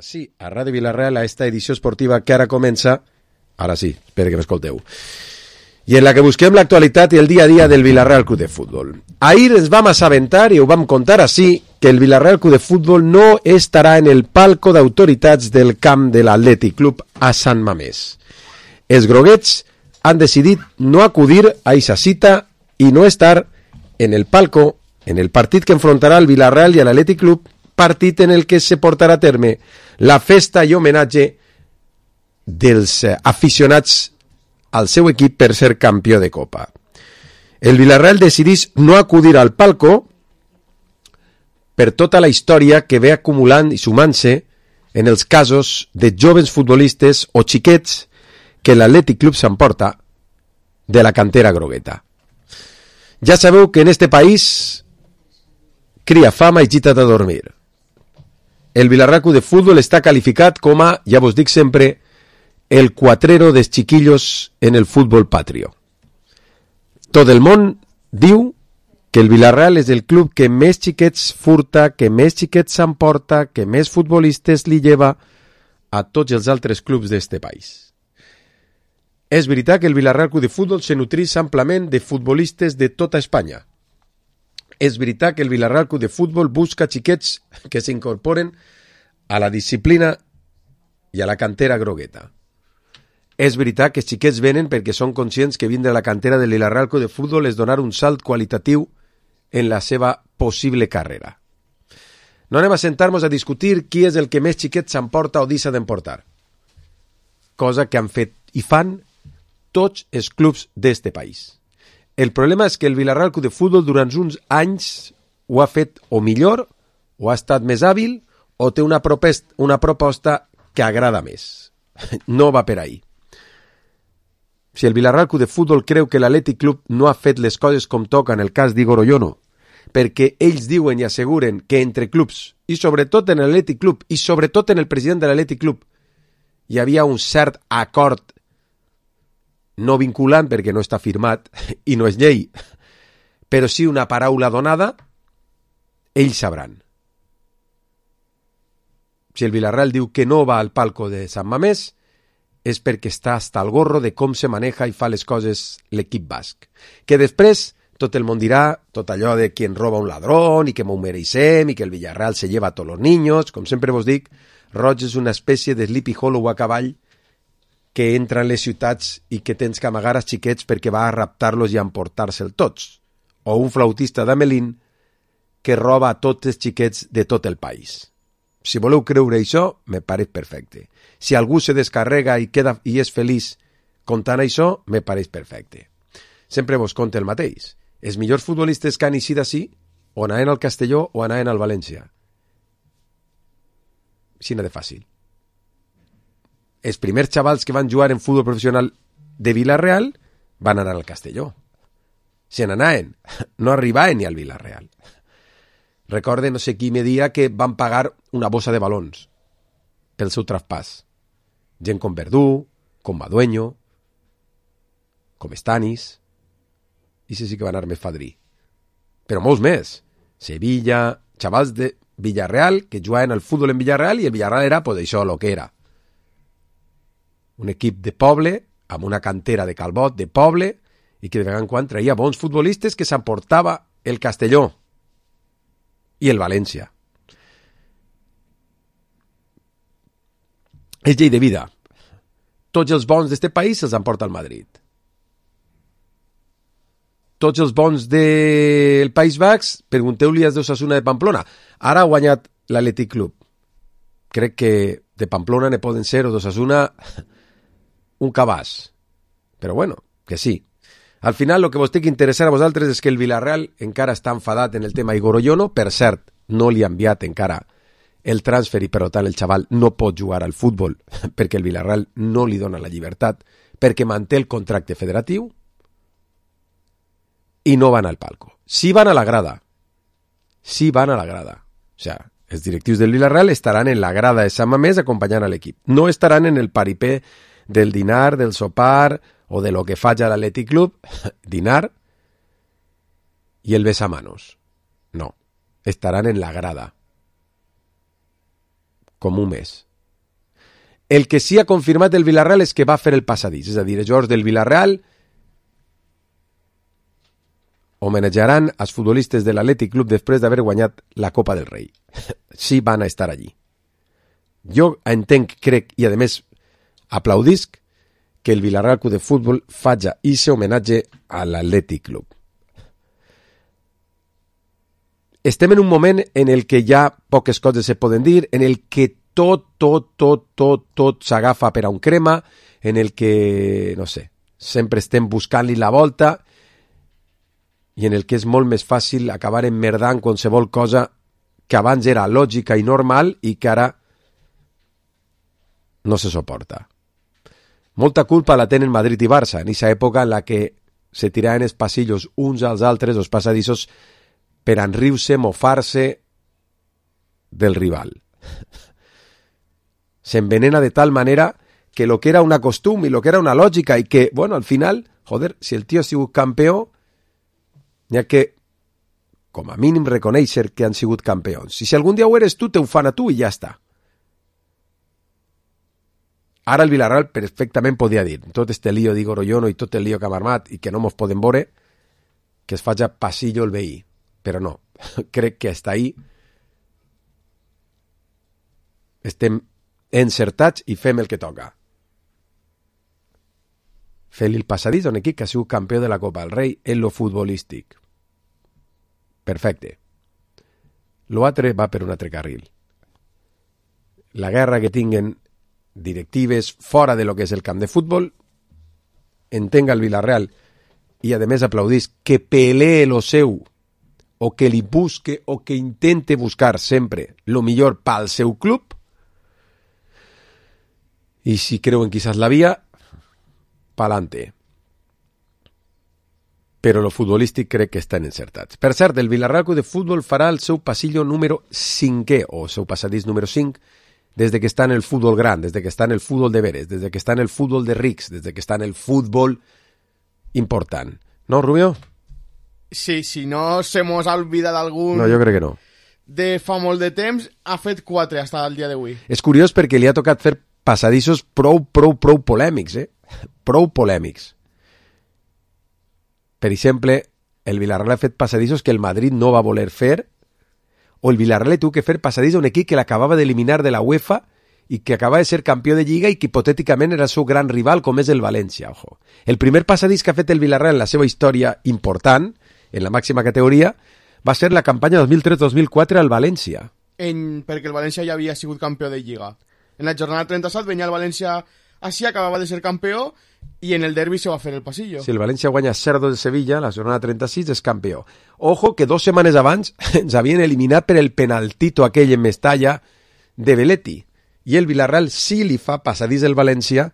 sí, a Ràdio Vila-real, a esta edició esportiva que ara comença, ara sí, espero que m'escolteu, i en la que busquem l'actualitat i el dia a dia del Vila-real Club de Futbol. Ahir ens vam assabentar i ho vam contar així, que el Vila-real Club de Futbol no estarà en el palco d'autoritats del camp de l'Atlètic Club a Sant Mamés. Els groguets han decidit no acudir a aquesta cita i no estar en el palco en el partit que enfrontarà el Vila-real i l'Atlètic Club, partit en el que se portarà a terme la festa i homenatge dels aficionats al seu equip per ser campió de Copa. El Vila-real decidís no acudir al palco per tota la història que ve acumulant i sumant-se en els casos de joves futbolistes o xiquets que l'Atlètic Club s'emporta de la cantera grogueta. Ja sabeu que en este país cria fama i gita't a dormir. El Vila-real Club de Futbol està qualificat com a, ja vos dic sempre, el cuatrero dels chiquillos en el futbol patrio. Tot el món diu que el Vila-real és el club que més xiquets furta, que més xiquets s'emporta, que més futbolistes li lleva a tots els altres clubs d'este país. És veritat que el Vila-real Club de Futbol se nutrís amplament de futbolistes de tota Espanya. És veritat que el Vila-real Club de Futbol busca xiquets que s'incorporen a la disciplina i a la cantera grogueta. És veritat que els xiquets venen perquè són conscients que vindre a la cantera del Vila-real Club de Futbol és donar un salt qualitatiu en la seva possible carrera. No anem a sentar-nos a discutir qui és el que més xiquets s'emporta o deixa d'emportar. Cosa que han fet i fan tots els clubs d'este país. El problema és que el Vila-real Club de Futbol durant uns anys ho ha fet o millor, o ha estat més hàbil, o té una proposta que agrada més. No va per ahí. Si el Vila-real Club de Futbol creu que l'Atlètic Club no ha fet les coses com toca en el cas d'Igor Oyono, perquè ells diuen i asseguren que entre clubs, i sobretot en l'Atlètic Club, i sobretot en el president de l'Atlètic Club, hi havia un cert acord no vinculant perquè no està firmat i no és llei, però sí una paraula donada, ells sabran. Si el Vila-real diu que no va al palco de Sant Mamés, és perquè està hasta el gorro de com se maneja i fa les coses l'equip basc. Que després tot el món dirà tot allò de qui en roba un ladrón i que m'ho mereixem i que el Villarreal se lleva a tots els niños. Com sempre vos dic, Roig és una espècie de Sleepy Hollow a cavall que entra en les ciutats i que tens que amagar els xiquets perquè va a raptar-los i a emportar-se'l tots. O un flautista d'Amelín que roba a tots els xiquets de tot el país. Si voleu creure això, me pareix perfecte. Si algú se descarrega i queda i és feliç contant això, me pareix perfecte. Sempre vos conte el mateix. Els millors futbolistes que han eixit així, o anaven al Castelló o anaven al València. Així de fàcil. Els primers xavals que van jugar en futbol professional de Vila-real van anar al Castelló. Se n'anaven, no arribaven ni al Vila-real. Recorde no sé qui me dia que van pagar una bossa de balons pel seu traspàs. Gent com Verdú, com Madueño, com Stanis, i sí que va anar més fadrí. Però molts més. Sevilla, xavals de Villarreal que jugaven al futbol en Villarreal i el Villarreal era, pues això, lo que era. Un equip de poble, amb una cantera de calbot de poble, i que de vegades en quan traia bons futbolistes que s'emportava el Castelló i el València. És llei de vida. Tots els bons d'este país se'ls emporta al Madrid. Tots els bons del País Basc, pregunteu-li als d'Osasuna de Pamplona. Ara ha guanyat l'Atlètic Club. Crec que de Pamplona ne poden ser, o d'Osasuna, un cabàs. Però bueno, que sí. Al final, el que vos té que interessar a vosaltres és que el Vila-real encara està enfadat en el tema Igor Oyono. Per cert, no li ha enviat encara el transfer i, per tant, el xaval no pot jugar al futbol perquè el Vila-real no li dona la llibertat perquè manté el contracte federatiu i no van al palco. Sí van a la grada. Sí van a la grada. O sea, els directius del Vila-real estaran en la grada de Sant Mamés acompanyant a l'equip. No estaran en el paripé del dinar, del sopar o de lo que faig a l'Atlètic Club, dinar i el besamanos. No, estaran en la grada. Com un mes. El que sí ha confirmat el Villarreal és que va fer el passadís, és a dir, els jugadors del Villarreal homenatjaran als futbolistes de l'Atlètic Club després d'haver guanyat la Copa del Rei. Sí van a estar allí. Jo entenc, crec, i a més aplaudisc que el Villarreal Club de Futbol faci ese homenatge a l'Atlètic Club. Estem en un moment en el que ja poques coses se poden dir, en el que tot s'agafa per a un crema, en el que, no sé, sempre estem buscant-li la volta i en el que és molt més fàcil acabar emmerdant qualsevol cosa que abans era lògica i normal i que ara no se soporta. Molta culpa la tenen Madrid i Barça, en aquesta època en la que se tiraven els passillos uns als altres, els passadissos, per enriure-se, mofar-se del rival. S'envenena de tal manera que lo que era una costum y lo que era una lògica y que, bueno, al final, joder, si el tío ha sigut campió, n'hi ha que, com a mínim, reconèixer que han sigut campions. I si algun dia ho eres tu, te ho fan a tu i ja està. Ara el Villarreal perfectament podia dir tot este lío d'Igor Oyono i tot el lío que hem armat i que no mos podem veure, que es faci passillo el veí. Però no, crec que hasta ahí estem encertats i fem el que toca. Fer-li el passadís a un equip que ha sigut campió de la Copa del Rei en lo futbolístic. Perfecte. L'altre va per un altre carril. La guerra que tinguen directives fora de lo que és el camp de futbol, entenga el Villarreal i a més aplaudís que pelee lo seu o que li busque o que intente buscar sempre lo millor pel seu club, i si creuen quizás la via, pa'lante. Però lo futbolístic crec que estan encertats. Per cert, el Villarreal Club de Futbol farà el seu passillo número 5è, o seu passadís número 5, des que està en el futbol gran, des que està en el futbol de veres, des que està en el futbol de rics, des que està en el futbol important. No, Rubio? Sí, si no se mos ha olvidat algun... No, jo crec que no. De fa molt de temps, ha fet 4 fins al dia d'avui. És curiós perquè li ha tocat fer passadissos prou polèmics, prou polèmics. Per exemple, el Villarreal ha fet passadissos que el Madrid no va voler fer, o el Villarreal tuvo que fer passadís a un equip que l'acabava d'eliminar de la UEFA i que acaba de ser campió de Lliga i que hipotèticament era el seu gran rival, com és el València. Ojo. El primer passadís que ha fet el Villarreal en la seva història important, en la màxima categoria, va ser la campanya 2003-2004 al València. Perquè el València ja havia sigut campió de Lliga. En la jornada 37 venia el València així, acabava de ser campió, i en el derbi se va fer el passillo. Si el València guanya 0-2 de Sevilla, la jornada 36 és campió. Ojo que 2 setmanes abans ens havien eliminat per el penaltito aquell en Mestalla de Belletti. I el Villarreal sí li fa passadís el València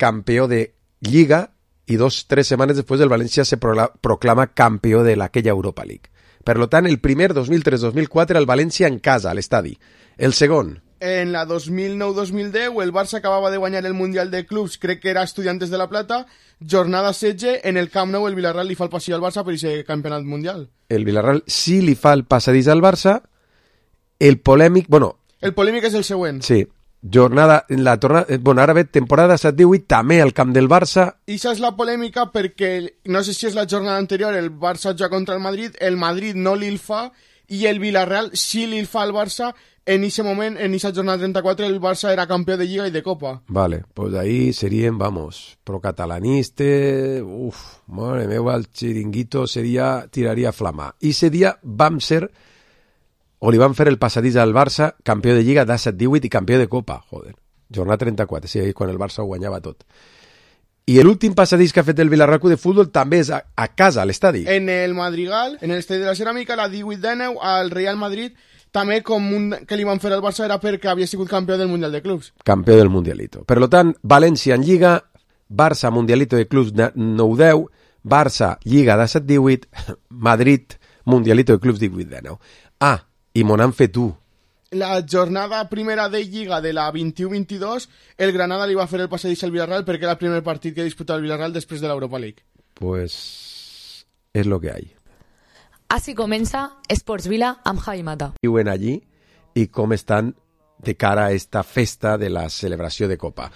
campió de Lliga i 2-3 setmanes després el València se proclama campió de aquella Europa League. Per tant, el primer 2003-2004 el València en casa, a l'estadi. El segon... En la 2009-2010 el Barça acabava de guanyar el Mundial de Clubs, crec que era Estudiantes de la Plata, jornada 16, en el Camp Nou el Villarreal li fa el passillo al Barça per aquest campionat mundial. El Villarreal sí li fa el passadís al Barça, el polèmic... Bueno, el polèmic és el següent. Sí, ara ve temporada 7-18 també al camp del Barça. I això és la polèmica perquè, no sé si és la jornada anterior, el Barça juga contra el Madrid no li el fa, i el Villarreal sí li el fa al Barça. En ese moment, en esa jornada 34, el Barça era campió de Lliga y de Copa. Vale, pues ahí serían, vamos, procatalaniste, madre meva, el chiringuito tiraria flama. I ese dia vam ser, o li van fer el passadís al Barça, campió de Lliga, 17-18 i campió de Copa, joder. Jornada 34, sí, ahí quan el Barça ho guanyava tot. I l'últim passadís que ha fet el Villarreal Club de Futbol també és a casa, a l'estadi. En el Madrigal, en l'estadi de la Ceràmica, la 18-19, al Real Madrid, també com que li van fer al Barça era perquè havia sigut campió del Mundial de Clubs. Campió del Mundialito. Per tant, València en Lliga, Barça Mundialito de Clubs 9-10, Barça Lliga 17-18, Madrid Mundialito de Clubs 18-19. Ah, i m'ho han fet tu. La jornada primera de Lliga de la 21-22, el Granada li va fer el passadís al Villarreal perquè era el primer partit que disputava el Villarreal després de l'Europa League. Pues és lo que hay. Así comença Esports Vila amb Javi Mata. Viuen allí i com estan de cara a esta festa de la celebració de Copa.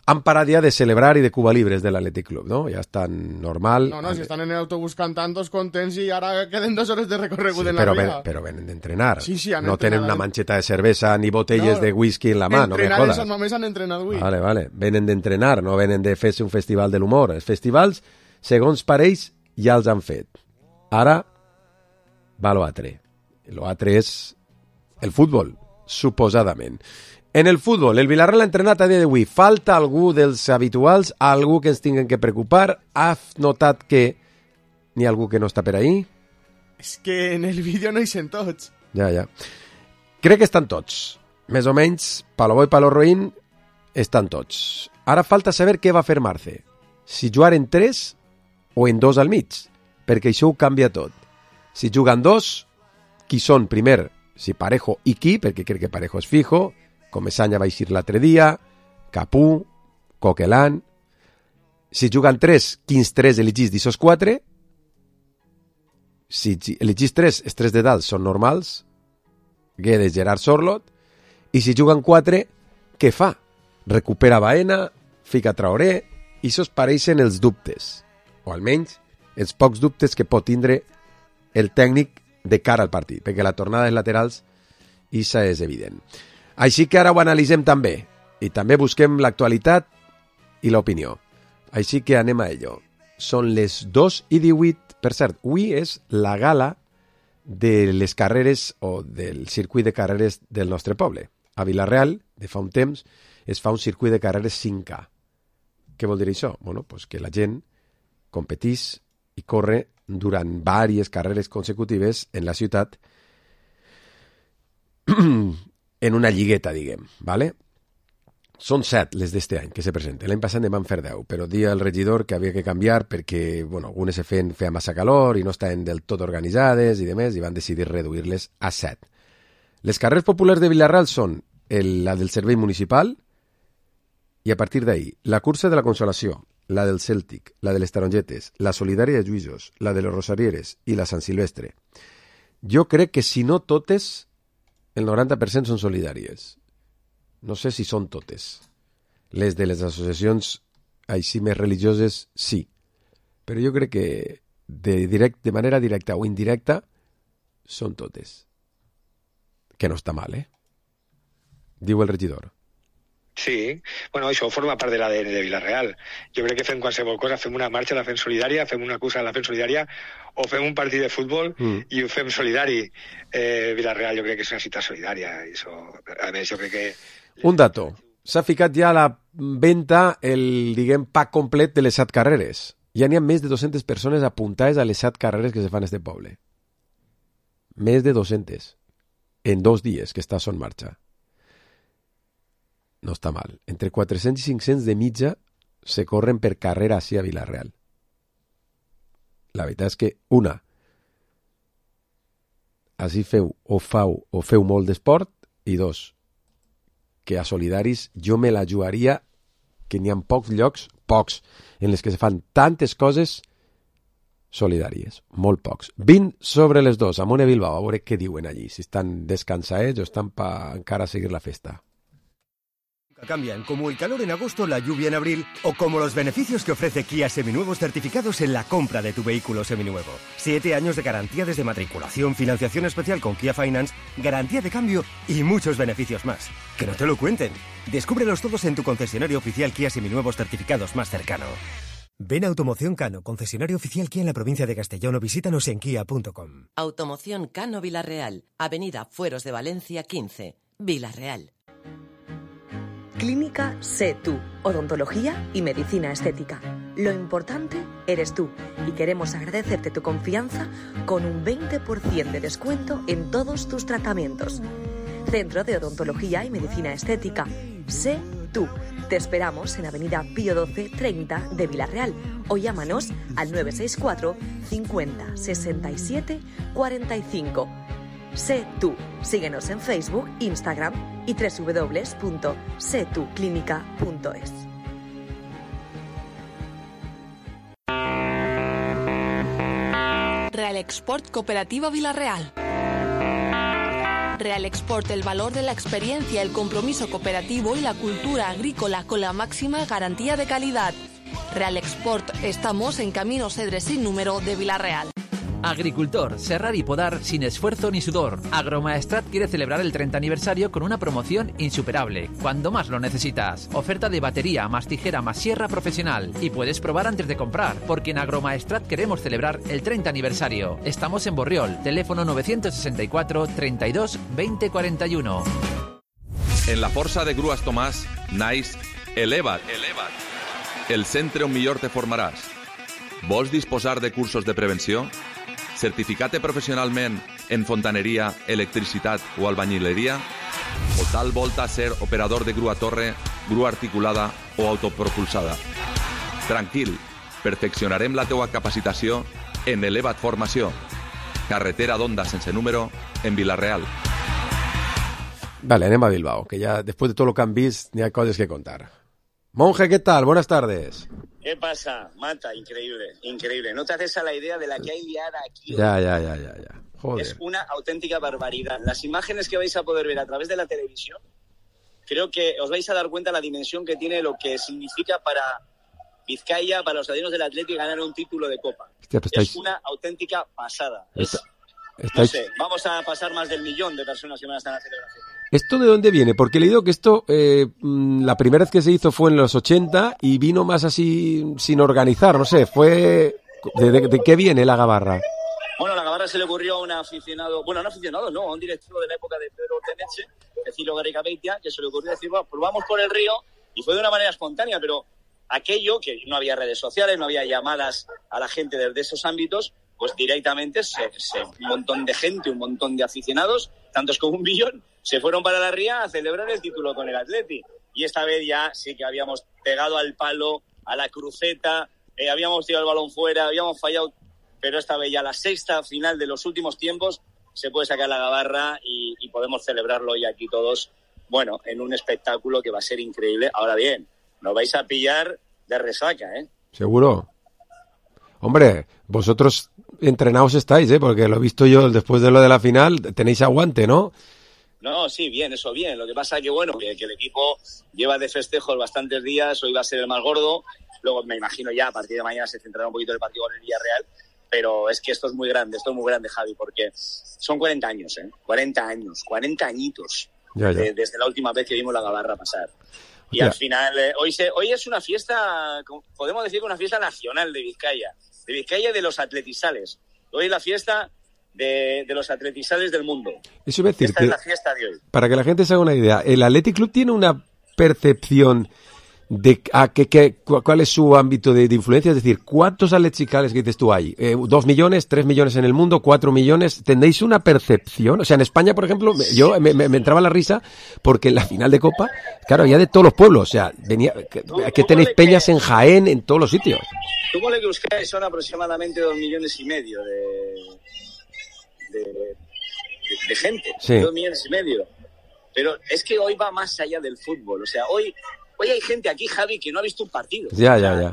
Han parat ja de celebrar i de Cuba Libres de l'Athletic Club, no? Ja estan normal. No, si estan en el autobús cantant, tots contents i ara queden 2 hores de recorregut en la via. Però venen d'entrenar. Sí, han no entrenat. tenen una manxeta de cervesa ni botelles de whisky en la mà, no me jodas. Entrenar només han entrenat avui. Vale. Venen d'entrenar, no venen de fer-se un festival de l'humor. Els festivals, segons pareix, ja els han fet. Ara va l'altre. L'altre és el futbol, suposadament. En el futbol, el Villarreal ha entrenat a dia d'avui. Falta algú dels habituals, algú que ens tinguen que preocupar. Has notat que n'hi ha algú que no està per ahí? És que en el vídeo no hi sent tots. Ja. Crec que estan tots. Més o menys, palo bo i palo roïn, estan tots. Ara falta saber què va fer Marce. Si jugar en 3 o en 2 al mig, perquè això ho canvia tot. Si juguen 2, qui són primer? Si Parejo i qui, perquè crec que Parejo és fijo, Comesaña va eixir l'altre dia, Capú, Coquelin. Si juguen 3, quins 3 elegís d'ixos 4? Si elegís 3, els 3 de dalt són normals, Guedes, Gerard, Sorlot, i si juguen 4, què fa? Recupera Baena, fica Traoré, i ixos pareixen els dubtes, o almenys els pocs dubtes que pot tindre el tècnic de cara al partit, perquè la tornada dels laterals ixa és evident. Així que ara ho analitzem també, i també busquem l'actualitat i l'opinió. Així que anem a ello. Són les 2:18, per cert, avui és la gala de les carreres o del circuit de carreres del nostre poble. A Vilareal, de fa un temps, es fa un circuit de carreres 5K. Què vol dir això? Bueno, pues que la gent competís i corre durant diverses carreres consecutives en la ciutat en una lligueta, diguem, ¿vale? Són 7 les d'este any que se presenten. L'any passat en van fer 10, però dia el regidor que havia que canviar perquè, bueno, algunes se feia massa calor i no estaven del tot organitzades i demés, i van decidir reduir-les a 7. Les carreres populars de Vilareal són la del servei municipal i a partir d'ahí la cursa de la Consolació, la del Cèltic, la de les Tarongetes, la solidària de Lluïsos, la de los Rosarieres i la Sant Silvestre. Jo crec que si no totes, el 90% són solidàries. No sé si són totes. Les de les associacions així més religioses, sí. Però jo crec que de manera directa o indirecta són totes. Que no està mal, Diu el regidor. Sí, bueno, això forma part de l'ADN de Vilareal. Jo crec que fem qualsevol cosa, fem una marxa, la fem solidària, fem una cursa, la fem solidària, o fem un partit de futbol i ho fem solidari. Vilareal jo crec que és una ciutat solidària. I això, a més, jo crec que... Un dato. S'ha ficat ja a la venda el, diguem, pack complet de les 7 carreres. Ja n'hi ha més de 200 persones apuntades a les 7 carreres que se fan a este poble. Més de 200. En 2 dies que està en marxa. No està mal. Entre 400 i 500 de mitja se corren per carrera així a Vilareal. La veritat és que, una, així feu molt d'esport, i 2, que a solidaris jo me la jugaria que n'hi ha pocs llocs, en les que se fan tantes coses solidàries, molt pocs. 20 sobre les 2, Amone Bilbao, a veure què diuen allí, si estan descansaets o estan per encara seguir la festa. Cambian como el calor en agosto, la lluvia en abril o como los beneficios que ofrece Kia Seminuevos certificados en la compra de tu vehículo seminuevo. 7 años de garantía desde matriculación, financiación especial con Kia Finance, garantía de cambio y muchos beneficios más. Que no te lo cuenten. Descúbrelos todos en tu concesionario oficial Kia Seminuevos certificados más cercano. Ven a Automoción Cano, concesionario oficial Kia en la provincia de Castellón, o visítanos en kia.com. Automoción Cano Vilareal, Avenida Fueros de Valencia 15, Vilareal. Clínica Sé Tú, odontología y medicina estética. Lo importante eres tú y queremos agradecerte tu confianza con un 20% de descuento en todos tus tratamientos. Centro de Odontología y Medicina Estética. Sé Tú. Te esperamos en Avenida Pío 12 30 de Vilareal o llámanos al 964 50 67 45. Sé Tú. Síguenos en Facebook, Instagram y www.setuclinica.es. Real Export Cooperativa Vilareal. Real Export, el valor de la experiencia, el compromiso cooperativo y la cultura agrícola con la máxima garantía de calidad. Real Export, estamos en Camino Cedres sin número de Vila-real. Agricultor, serrar y podar sin esfuerzo ni sudor. Agromaestrat quiere celebrar el 30 aniversario con una promoción insuperable, cuando más lo necesitas. Oferta de batería, más tijera, más sierra profesional. Y puedes probar antes de comprar, porque en Agromaestrat queremos celebrar el 30 aniversario. Estamos en Borriol, teléfono 964 32 20 41. En la Força de Grues Tomàs naix Eleva't. El centre on millor te formaràs. Vols disposar de cursos de prevenció? Certificat-te professionalment en fontaneria, electricitat o albañileria? O tal volta ser operador de grua torre, grua articulada o autopropulsada? Tranquil, perfeccionarem la teua capacitació en Eleva't Formació. Carretera d'Onda sense número en Vila-real. Vale, anem a Bilbao, que ya después de todo lo que han visto, ni hay cosas que contar. Monje, ¿qué tal? Buenas tardes. ¿Qué pasa? Mata, increíble. No te haces a la idea de la que hay liada aquí. Ya. Joder. Es una auténtica barbaridad. Las imágenes que vais a poder ver a través de la televisión, creo que os vais a dar cuenta de la dimensión que tiene lo que significa para Vizcaya, para los adinos del Atlético, ganar un título de Copa. Hostia, pues es una auténtica pasada. No sé, vamos a pasar más del 1.000.000 de personas que van a estar en la celebración. ¿Esto de dónde viene? Porque he leído que esto, la primera vez que se hizo fue en los 80 y vino más así sin organizar, no sé, fue... ¿De qué viene la gabarra? Bueno, la gabarra se le ocurrió a un aficionado, a un directivo de la época de Pedro Teneche, Cecilio Garricabeitia, que se le ocurrió decir, bueno, pues vamos por el río, y fue de una manera espontánea, pero aquello, que no había redes sociales, no había llamadas a la gente desde esos ámbitos, pues directamente un montón de gente, un montón de aficionados, tantos como 1.000.000, se fueron para la ría a celebrar el título con el Atleti. Y esta vez ya sí que habíamos pegado al palo, a la cruceta, habíamos tirado el balón fuera, habíamos fallado, pero esta vez ya la sexta final de los últimos tiempos se puede sacar la gabarra y podemos celebrarlo hoy aquí todos, bueno, en un espectáculo que va a ser increíble. Ahora bien, nos vais a pillar de resaca, ¿eh? ¿Seguro? Hombre, vosotros entrenados estáis, porque lo he visto yo después de lo de la final, tenéis aguante, ¿no? No, sí, bien, eso bien. Lo que pasa es que, bueno, que el equipo lleva de festejos bastantes días, hoy va a ser el más gordo, luego me imagino ya a partir de mañana se centrará un poquito el partido con el Villarreal, pero es que esto es muy grande, Javi, porque son 40 años, 40 añitos, ya. Desde la última vez que vimos la gabarra pasar. Y al final, hoy es una fiesta, podemos decir que una fiesta nacional de Vizcaya y de los atletizales. Hoy es la fiesta de los atletizales del mundo. Eso iba a decir. Esta es la fiesta de hoy. Para que la gente se haga una idea, ¿el Athletic Club tiene una percepción de cuál es su ámbito de influencia? Es decir, ¿cuántos atleticales que dices tú hay? ¿2 millones, 3 millones en el mundo, 4 millones? ¿Tendréis una percepción? O sea, en España, por ejemplo, yo me entraba la risa porque en la final de Copa, claro, había de todos los pueblos. O sea, que tenéis peñas en Jaén, en todos los sitios. Tú ponle que Euskadi son aproximadamente 2,5 millones de gente. Sí. 2,5 millones. Pero es que hoy va más allá del fútbol. O sea, hoy hay gente aquí, Javi, que no ha visto un partido. Ya.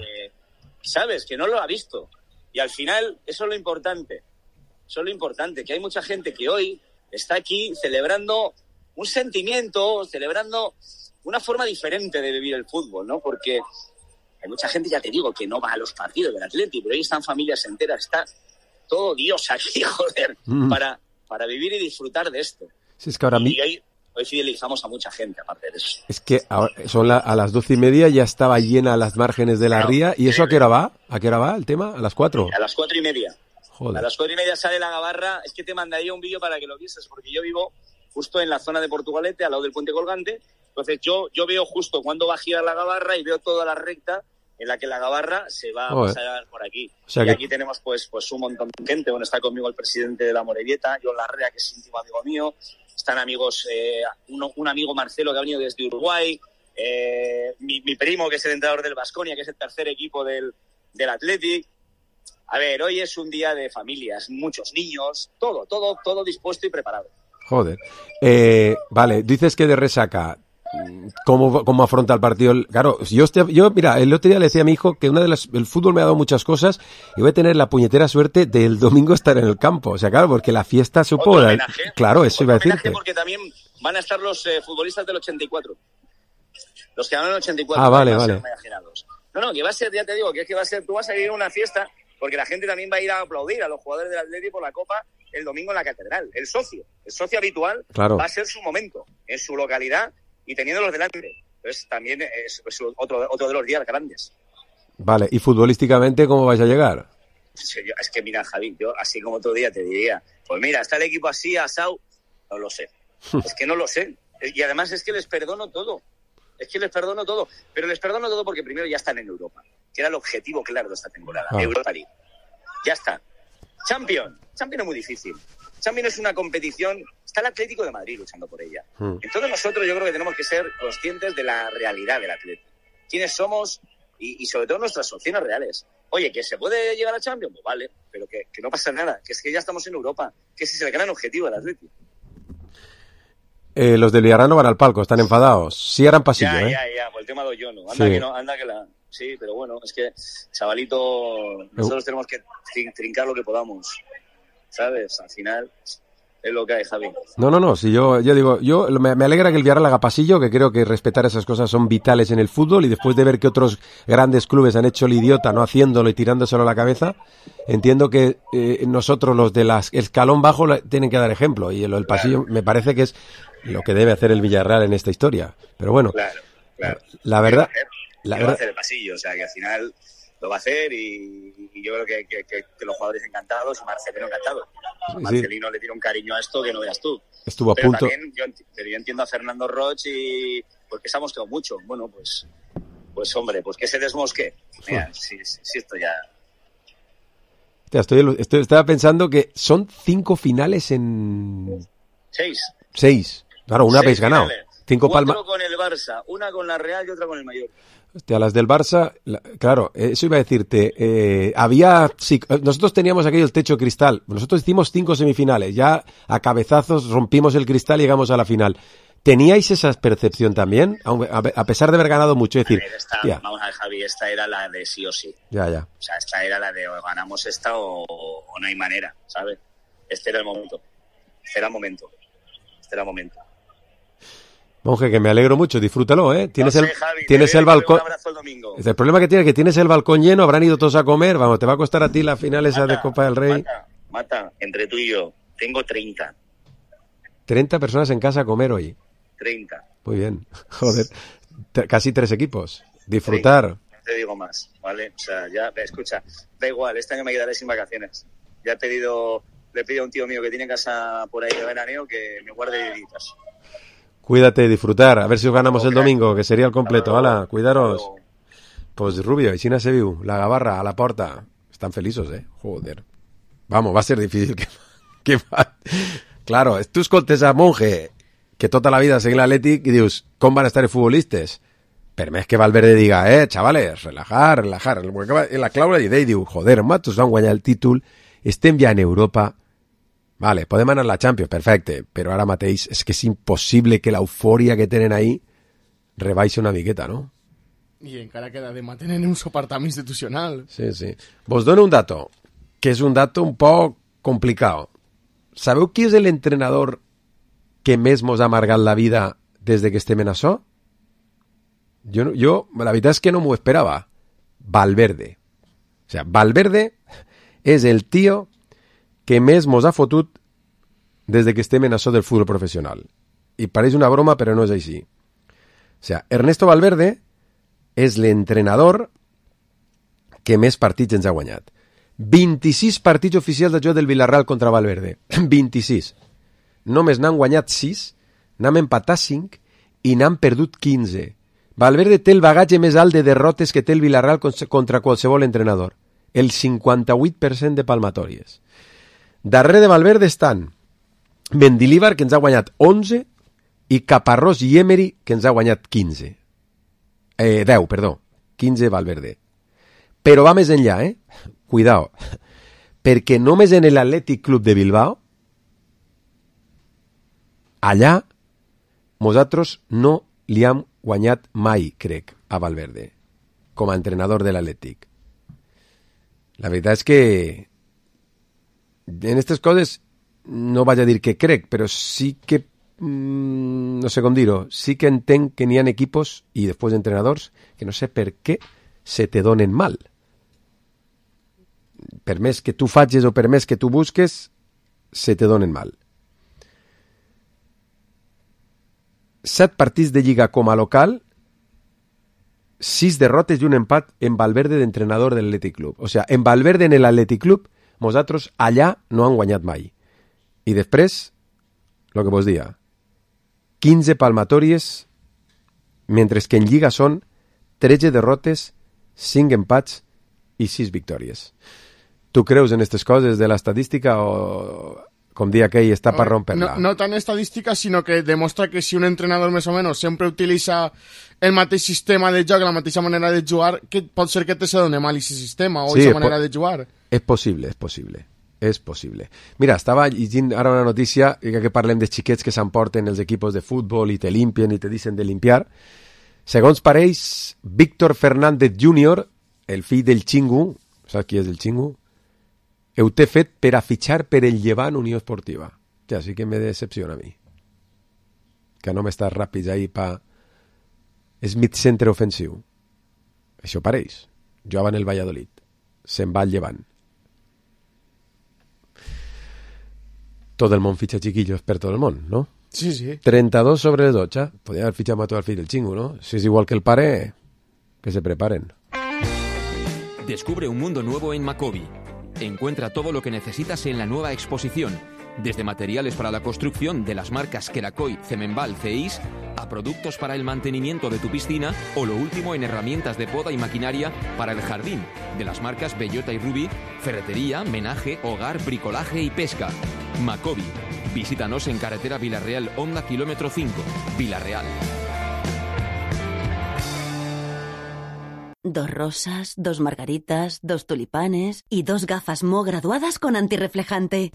¿Sabes? Que no lo ha visto. Y al final, eso es lo importante. Que hay mucha gente que hoy está aquí celebrando un sentimiento, celebrando una forma diferente de vivir el fútbol, ¿no? Porque hay mucha gente, ya te digo, que no va a los partidos del Atleti, pero ahí están familias enteras, está todo Dios aquí, joder, para vivir y disfrutar de esto. Sí, es que ahora Hoy fidelizamos a mucha gente, aparte de eso. Es que ahora a las 12:30 ya estaba llena las márgenes de la ría. ¿Y eso a qué hora va? ¿A qué hora va el tema? ¿A las 4? A las 4:30. Joder. A las 4:30 sale la gabarra. Es que te mandaría un vídeo para que lo vieses, porque yo vivo justo en la zona de Portugalete, al lado del puente colgante. Entonces yo veo justo cuándo va a girar la gabarra y veo toda la recta en la que la gabarra se va a pasar por aquí. O sea y aquí tenemos pues un montón de gente. Bueno, está conmigo el presidente de la Morevieta, John Larrea, que es íntimo amigo mío. Están amigos, un amigo Marcelo que ha venido desde Uruguay, mi primo que es el entrenador del Baskonia, que es el tercer equipo del Athletic. A ver, hoy es un día de familias, muchos niños, todo dispuesto y preparado. Joder. Vale, dices que de resaca. cómo afronta el partido. Claro, yo, mira, el otro día le decía a mi hijo que el fútbol me ha dado muchas cosas y voy a tener la puñetera suerte del domingo estar en el campo. O sea, claro, porque la fiesta supo... Claro, eso iba a decirte. Porque también van a estar los futbolistas del 84. Los que ganaron el 84. Ah, vale. No, que va a ser, ya te digo, que es que va a ser, tú vas a ir a una fiesta porque la gente también va a ir a aplaudir a los jugadores del Atleti por la Copa el domingo en la Catedral. El socio habitual, claro, va a ser su momento, en su localidad y teniéndolos delante. Entonces también es otro de los días grandes. Vale, ¿y futbolísticamente cómo vais a llegar? Es que mira, Javi, yo así como otro día te diría, pues mira, está el equipo así, asado, no lo sé. Es que no lo sé. Y además es que les perdono todo. Pero les perdono todo porque primero ya están en Europa, que era el objetivo claro de esta temporada. Europa League. Ya está. Champions es muy difícil. Champions es una competición, está el Atlético de Madrid luchando por ella. Entonces nosotros yo creo que tenemos que ser conscientes de la realidad del Atlético. Quiénes somos y sobre todo nuestras opciones reales. Oye, ¿que se puede llegar a Champions? Pues vale, pero que no pasa nada, que es que ya estamos en Europa, que ese es el gran objetivo del Atlético. Los del Villarreal no van al palco, están enfadados. Sí harán pasillo, Ya, por el tema de Oyono. Sí, pero bueno, es que, chavalito, nosotros tenemos que trincar lo que podamos, ¿sabes? Al final es lo que hay, Javi. No, si yo digo, me alegra que el Villarreal haga pasillo, que creo que respetar esas cosas son vitales en el fútbol, y después de ver que otros grandes clubes han hecho el idiota no haciéndolo y tirándoselo a la cabeza, entiendo que nosotros, los del escalón bajo, tienen que dar ejemplo, y el pasillo me parece que es lo que debe hacer el Villarreal en esta historia. Pero bueno, claro. La verdad... va a hacer el pasillo, o sea que al final lo va a hacer y yo creo que los jugadores encantados y Marcelino encantado. Marcelino le tiene un cariño a esto que no veas tú. Estuvo a punto. También yo entiendo a Fernando Roch y porque se ha mosqueado mucho. Bueno, pues hombre, pues que se desmosque. Mira, si esto ya... Estaba pensando que son 5 finales en... 6. Claro, una habéis ganado. 5 palmas. 4 con el Barça, una con la Real y otra con el Mallorca. Hostia, las del Barça, claro, eso iba a decirte. Nosotros teníamos aquello el techo cristal. Nosotros hicimos 5 semifinales. Ya a cabezazos rompimos el cristal y llegamos a la final. ¿Teníais esa percepción también? A pesar de haber ganado mucho. Es decir, vamos a ver, Javi, esta era la de sí o sí. Ya. O sea, esta era la de o ganamos esta o no hay manera, ¿sabes? Este era el momento. Monje, que me alegro mucho, disfrútalo, ¿eh? Tienes Javi, tienes el balcón. Un abrazo el domingo. El problema que tiene es que tienes el balcón lleno, habrán ido todos a comer, vamos, te va a costar a ti la final esa de Copa del Rey. Mata, entre tú y yo, tengo 30. 30 personas en casa a comer hoy. 30. Muy bien, joder, casi 3 equipos. Disfrutar. 30. No te digo más, ¿vale? O sea, ya, escucha, da igual, este año me quedaré sin vacaciones. Ya le he pedido a un tío mío que tiene casa por ahí de veraneo que me guarde deditas. Cuídate, disfrutar, a ver si os ganamos el domingo, que sería el completo. Hala, cuidaros. Pues Rubio, y Sina se viu, la Gavarra, a la porta. Están feliços, joder. Vamos, va a ser difícil que Claro, tu escoltes a Monje, que tota la vida seguint l'Atlètic, i dius, com van estar els futbolistes? Per més que Valverde diga, chavales, relajar. La clau i diu, joder, matos van guanyar el títol, estem ja en Europa. Vale, podem anar a la Champions, perfecte, però ara mateix és que és impossible que l'eufòria que tenen ahí rebaixe una miqueta, ¿no? I encara queda de mantenir un soportament institucional. Sí. Vos dono un dato, que és un dato un poc complicat. Sabeu qui és l'entrenador que més mos ha amargat la vida des de que estem en això? Jo, la veritat és que no m'ho esperava. Valverde. O sea, Valverde és el tío que més mos ha fotut des de que estem en això del futbol professional. I pareix una broma, però no és així. O sea, Ernesto Valverde és l'entrenador que més partits ens ha guanyat. 26 partits oficials de joc del Villarreal contra Valverde. 26. Només n'han guanyat 6, n'han empatat 5 i n'han perdut 15. Valverde té el bagatge més alt de derrotes que té el Villarreal contra qualsevol entrenador. El 58% de palmatòries. Darrere de Valverde estan Mendilibar, que ens ha guanyat 11, i Caparrós i Emery, que ens ha guanyat 15. 10, perdó. 15 Valverde. Però va més enllà, Cuidao. Perquè només en l'Atlètic Club de Bilbao, allà, nosaltres no li han guanyat mai, crec, a Valverde, com a entrenador de l'Atlètic. La veritat és que en aquestes coses no vaig a dir que crec, però sí que, no sé com dir-ho, sí que entenc que n'hi ha equipos i després entrenadors que no sé per què se te donen mal. Per més que tu facis o per més que tu busques, se te donen mal. 7 partits de Lliga com a local, 6 derrotes i un empat en Valverde d'entrenador de l'Atlètic Club. O sigui, en Valverde en l'Atlètic Club, nosaltres allà no han guanyat mai. I després, el que vos dia, 15 palmatòries, mentre que en Lliga són 13 derrotes, 5 empats i 6 victòries. Tu creus en aquestes coses de l'estadística o, com dia aquell, està per romper-la? No tan estadística, sinó que demostra que si un entrenador més o menys sempre utilitza el mateix sistema de joc, la mateixa manera de jugar, que pot ser que te se doni mal aquest sistema o aquesta manera de jugar. És possible, és possible. És possible. Mira, estava llegint ara una notícia que parlem de xiquets que s'emporten els equipos de futbol i te limpien i te dicen de limpiar. Segons pareix, Víctor Fernández Jr., el fill del Xingu, saps qui és el Xingu? Ho té fet per a fitxar per el Llevant Unió Esportiva. Ja, sí que me decepciona a mi. Que no m'estàs ràpids ahí pa... És mig centre ofensiu. Això pareix. Jugava en el Valladolid. Se'n va al Llevant. Tot el món fitxa chiquillos per tot el món, ¿no? Sí, sí. 32 sobre 12. Podria haver fitxat a tot el fill del Xingu, ¿no? Si es igual que el pare, que se preparen. Descubre un mundo nuevo en Macobi. Encuentra todo lo que necesitas en la nueva exposición, desde materiales para la construcción de las marcas Kerakoy, Cemenbal, Ceis, a productos para el mantenimiento de tu piscina o lo último en herramientas de poda y maquinaria para el jardín, de las marcas Bellota y Ruby, ferretería, menaje, hogar, bricolaje y pesca. Macobi. Visítanos en carretera Villarreal, Honda, kilómetro 5, Villarreal. 2 rosas, 2 margaritas, 2 tulipanes y 2 gafas Mo graduadas con antirreflejante.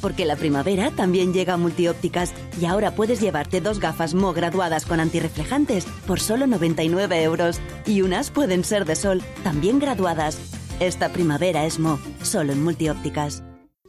Porque la primavera también llega a Multiópticas y ahora puedes llevarte 2 gafas Mo graduadas con antirreflejantes por solo 99 euros. Y unas pueden ser de sol, también graduadas. Esta primavera es Mo, solo en Multiópticas.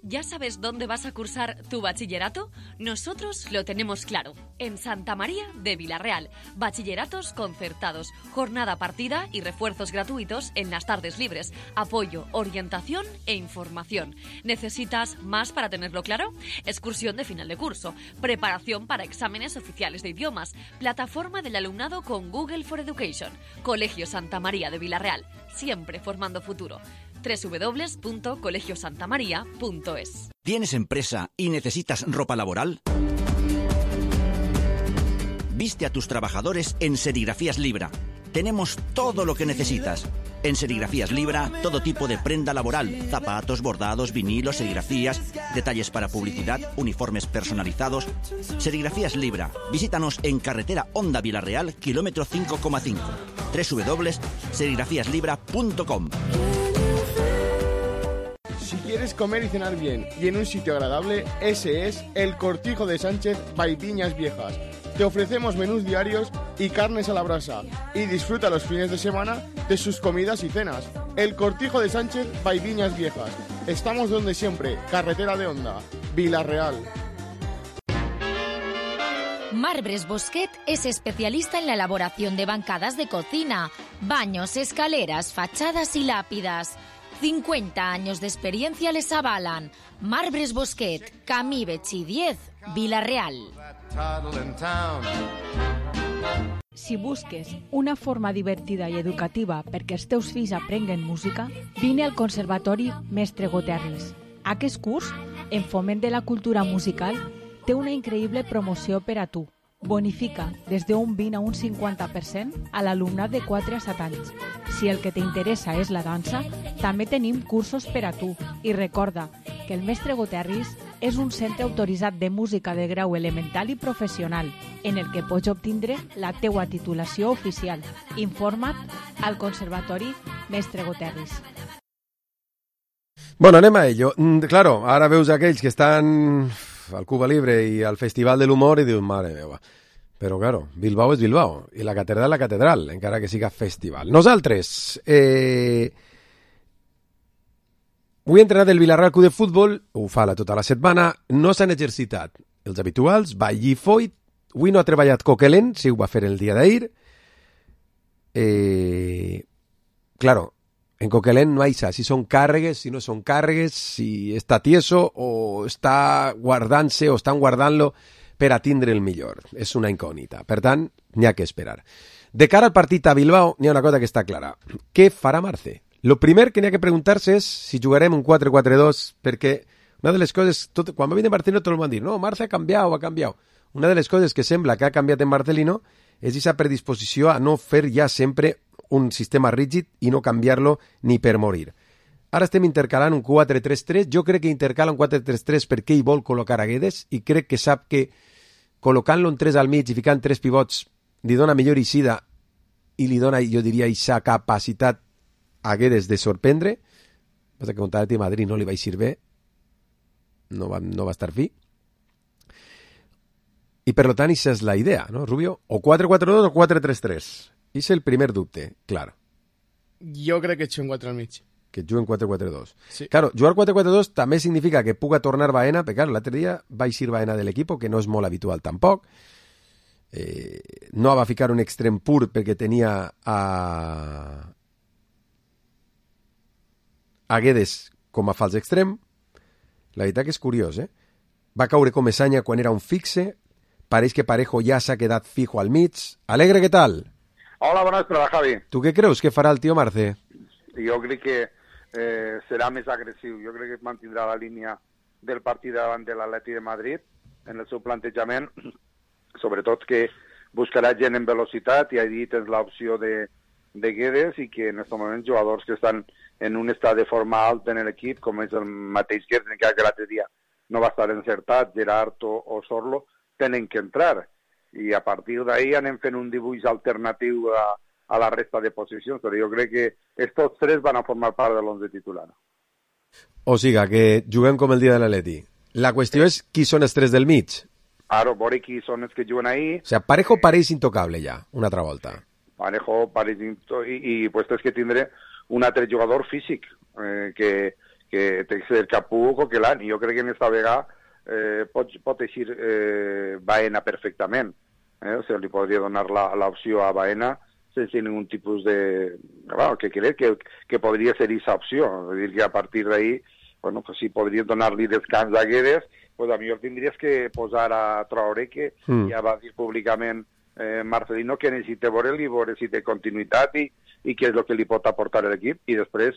¿Ya sabes dónde vas a cursar tu bachillerato? Nosotros lo tenemos claro. En Santa María de Villarreal. Bachilleratos concertados, jornada partida y refuerzos gratuitos en las tardes libres. Apoyo, orientación e información. ¿Necesitas más para tenerlo claro? Excursión de final de curso. Preparación para exámenes oficiales de idiomas. Plataforma del alumnado con Google for Education. Colegio Santa María de Villarreal. Siempre formando futuro. www.colegiosantamaria.es. ¿Tienes empresa y necesitas ropa laboral? Viste a tus trabajadores en Serigrafías Libra. Tenemos todo lo que necesitas. En Serigrafías Libra, todo tipo de prenda laboral, zapatos, bordados, vinilos, serigrafías, detalles para publicidad, uniformes personalizados. Serigrafías Libra. Visítanos en carretera Honda Villarreal, kilómetro 5,5. www.serigrafíaslibra.com. Si quieres comer y cenar bien y en un sitio agradable, ese es El Cortijo de Sánchez by Viñas Viejas. Te ofrecemos menús diarios y carnes a la brasa y disfruta los fines de semana de sus comidas y cenas. El Cortijo de Sánchez by Viñas Viejas. Estamos donde siempre, carretera de Honda, Villarreal. Marbres Bosquet es especialista en la elaboración de bancadas de cocina, baños, escaleras, fachadas y lápidas. 50 años de experiencia les avalan. Marbres Bosquet, Camí Betxí 10, Villarreal. Si busques una forma divertida i educativa perquè els teus fills aprenguen música, vine al Conservatori Mestre Goterris. Aquest curs, en foment de la cultura musical, té una increïble promoció per a tu. Bonifica des d'un 20 a un 50% a l'alumnat de 4 a 7 anys. Si el que t'interessa és la dansa, també tenim cursos per a tu. I recorda que el Mestre Goterris és un centre autoritzat de música de grau elemental i professional, en el que pots obtindre la teua titulació oficial. Informa't al Conservatori Mestre Goterris. Bueno, anem a ello. Claro, ara veus aquells que estan al Cuba Libre i al Festival de l'Humor i dius, mare meva, Però, claro, Bilbao és Bilbao, i la catedral, encara que siga festival. Nosaltres, avui entrenat el Villarreal Club de Futbol, ho fa tota la setmana, no s'han exercitat els habituals, Vallí Foyt, avui no ha treballat Coquelin, sí ho va fer el dia d'ahir. Claro, en Coquelin no hay si son càrregues, si no son càrregues, si està tieso o està guardant-se o estan guardant-lo per a tindre el millor. És una incògnita. Per tant, n'hi ha que esperar. De cara al partit a Bilbao, n'hi ha una cosa que està clara. Què farà Marce? Lo primer que n'hi ha que preguntar-se és si jugarem un 4-4-2, perquè una de les coses, quan va venir Marcelino tot el món dir, no, Marce ha canviat. Una de les coses que sembla que ha canviat en Marcelino és aquesta predisposició a no fer ja sempre un sistema rígid i no canviar-lo ni per morir. Ara estem intercalant un 4-3-3, jo crec que intercala un 4-3-3 perquè ell vol col·locar a Guedes i crec que sap que col·locant-lo en 3 al mig i ficant 3 pivots li dona millor eixida i li dona, jo diria, aquesta capacitat a Guedes de sorprendre. Passa que contra l'Atlètic de Madrid no li va eixir bé, no va estar fi. I per tant, aquesta és la idea, no, Rubio? O 4-4-2 o 4-3-3. És el primer dubte, clar. Jo crec que juguen 4 al mig. Que juguen 4-4-2. Sí. Claro, jugar 4-4-2 també significa que puga tornar Baena, perquè claro, l'altre dia va eixir Baena de l'equip, que no és molt habitual tampoc. No va ficar un extrem pur perquè tenia a Guedes com a fals extrem. La veritat que és curiós, Va caure com Esanya quan era un fixe. Pareix que Parejo ja s'ha quedat fijo al mig. Alegre, què tal? Hola, bona vesprada, Javi. Tu què creus que farà el tio Marce? Jo crec que serà més agressiu. Jo crec que mantindrà la línia del partit davant de l'Atlètic de Madrid en el seu plantejament, sobretot que buscarà gent en velocitat, i ahir tens l'opció de Guedes, i que en aquest moment jugadors que estan en un estat de forma alta en l'equip, com és el mateix Guedes, encara que l'altre dia no va estar encertat, Gerard o Sorlo, tenen que entrar. I a partir d'ahir anem fent un dibuix alternatiu a la resta de posicions, però jo crec que estos 3 van a formar part de l'11 titular. O sigui, que juguem com el dia de l'Atleti. La qüestió és qui són els 3 del mig. Ara, veure qui són els que juguen ahir. O sigui, Parejo pareix intocable ja, una altra volta. Parejo pareix intocable, i pues tens que tindre un altre jugador físic, que té que ser Capú o Coquelin, i jo crec que en esta vegada pot eixir Baena perfectament. O sigui, li podria donar l'opció a Baena sense ningú tipus de... Bueno, que crec que podria ser aquesta opció. És dir, que a partir d'ahir, bueno, pues si podries donar-li descans a Guedes, pues a millor tindries que posar a Traoré, que ja va dir públicament Marcelino que necessita veure si té continuïtat i què és el que li pot aportar l'equip, i després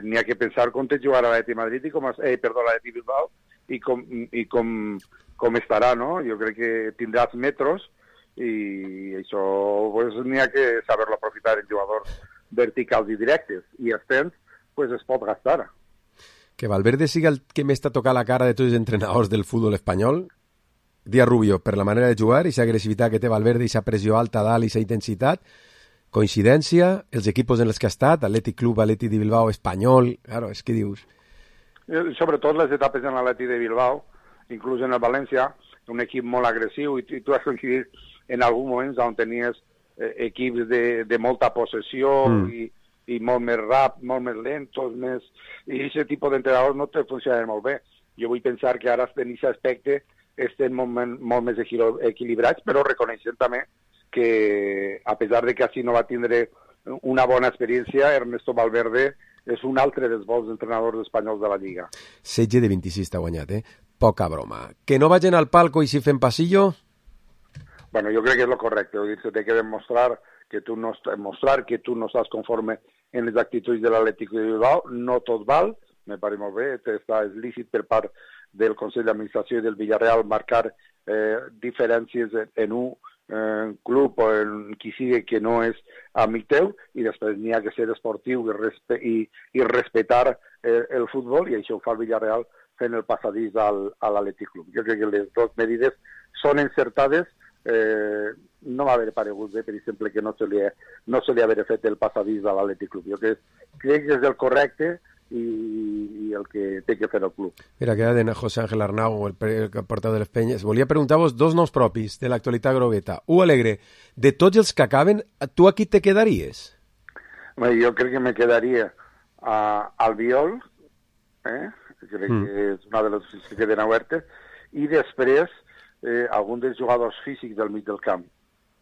n'hi ha que pensar com te jugarà l'Atlètic de Madrid l'Atlètic Bilbao i com estarà, no? Jo crec que tindràs metros, i això pues, n'hi ha que saber-lo aprofitar en jugadors verticals i directes, i els temps pues, es pot gastar. Que Valverde siga el que m'està tocant la cara de tots els entrenadors del futbol espanyol, dia Rubio, per la manera de jugar, i l'agressivitat que té Valverde, i la pressió alta dalt, i la intensitat, coincidència, els equipos en els que ha estat, Atlètic Club, Atlètic de Bilbao, Espanyol, claro, és que dius... Sobretot les etapes en l'Atlètic de Bilbao, inclús en el València, un equip molt agressiu, i tu has coincidit en alguns moments on tenies equips de molta possessió i molt més molt més lentos, i aquest tipus d'entrenadors no te funcionen molt bé. Jo vull pensar que ara en aquest aspecte estem molt més equilibrats, però reconeixent també que, a pesar de que així no va tindre una bona experiència, Ernesto Valverde és un altre dels bons entrenadors espanyols de la Lliga. 16 de 26 t'ha guanyat, Poca broma. Que no vagin al palco i si fem passillo? Bueno, jo crec que és lo correcte. Se té que demostrar que tu no estàs conforme en les actituds de l'Atlètic de Bilbao. No tot val, me pare molt bé. És lícit per part del Consell d'Administració i del Villarreal marcar diferències en un club o en qui sigui que no és amic teu, i després n'hi ha que ser esportiu i respectar el futbol, i això ho fa el Villarreal fent el passadís a l'Atlètic Club. Jo crec que les dues medides són encertades. No m'haver paregut bé, per exemple, que no se li haver fet el passadís a l'Atlètic Club. Jo crec que és el correcte, i el que té que fer el club. Mira, queda de José Ángel Arnau, el portador de les Penyes. Volia preguntar-vos 2 noms propis de l'actualitat grogueta. Alegre, de tots els que acaben, tu aquí te quedaries? Jo crec que me quedaria al Biol, crec que és una de les que queden obertes, i després algun dels jugadors físics del mig del camp.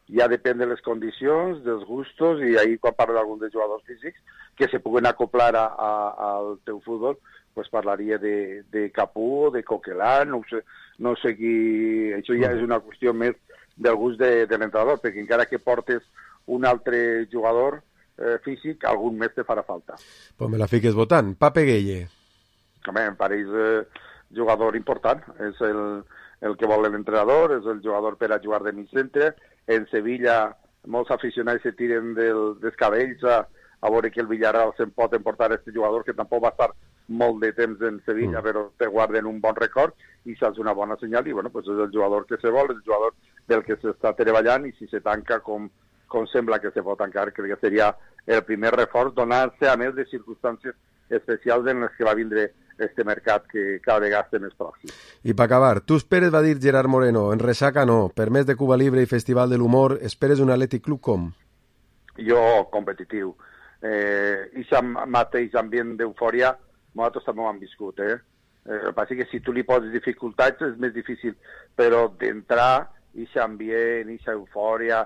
Ja depèn de les condicions, dels gustos, i ahir quan parlo d'algun dels jugadors físics que se puguen acoplar al teu futbol, pues parlaria de Capú o de Coquelin, no sé qui... Això ja és una qüestió més del gust de l'entrenador, perquè encara que portes un altre jugador físic, algun més te farà falta. Pues me la fiques votant. Pape Gueye. Home, em pareix jugador important. És el que vol l'entrenador, és el jugador per a jugar de mig centre. En Sevilla, molts aficionats se tiren dels cabells a veure que el Villarreal se'n pot emportar aquest jugador, que tampoc va estar molt de temps en Sevilla, però te guarden un bon record, i saps una bona senyal, i bueno, pues és el jugador que se vol, és el jugador del que s'està treballant, i si se tanca com sembla que se pot tancar, crec que seria el primer reforç, donar-se a més de circumstàncies especials en les que va vindre este mercat que cada vegada està més pròxim. I per acabar, tu esperes, va dir Gerard Moreno, en ressaca no, per més de Cuba Libre i Festival de l'Humor, esperes un Atlètic Club com? Jo, competitiu. I mateix ambient d'eufòria, nosaltres també ho hem viscut, El que passa que si tu li poses dificultats és més difícil, però d'entrar, ixa ambient, ixa eufòria,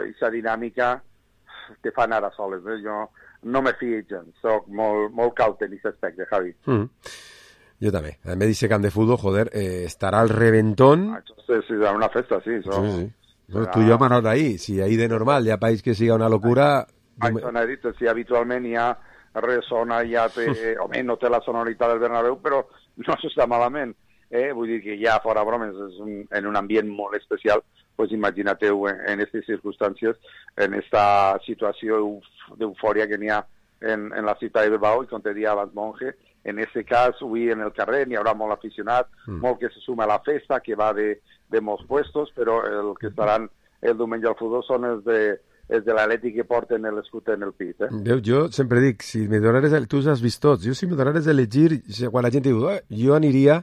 ixa dinàmica, te fan ara soles, Jo no me fio gens, soc molt caute en aquest aspecte, Javi. Jo també. A més d'aquest camp de futbol, joder, estarà al reventón. Sí, serà una festa, sí. Sí. No, tu i jo hem anat ahir. Si ahir de normal hi ha país que siga una locura... Això n'he dit, si habitualment hi ha ressona, ja té... Home, no té la sonoritat del Bernabéu, però no s'està malament. Vull dir que ja, fora bromes, és en un ambient molt especial, pues imaginateu en aquestes circumstàncies, en esta situació d'eufòria que n'hi ha en la ciutat de Bilbao, i com te dia abans Monge, en aquest cas, avui en el carrer n'hi haurà molt aficionat, molt que se suma a la festa, que va de molts puestos, però el que estaran el diumenge al futbol són els de l'Atlètic que porten l'escut en el pit. Jo sempre dic, si me donares... Tu has vist tots, si me donares elegir, quan la gent diu, jo aniria...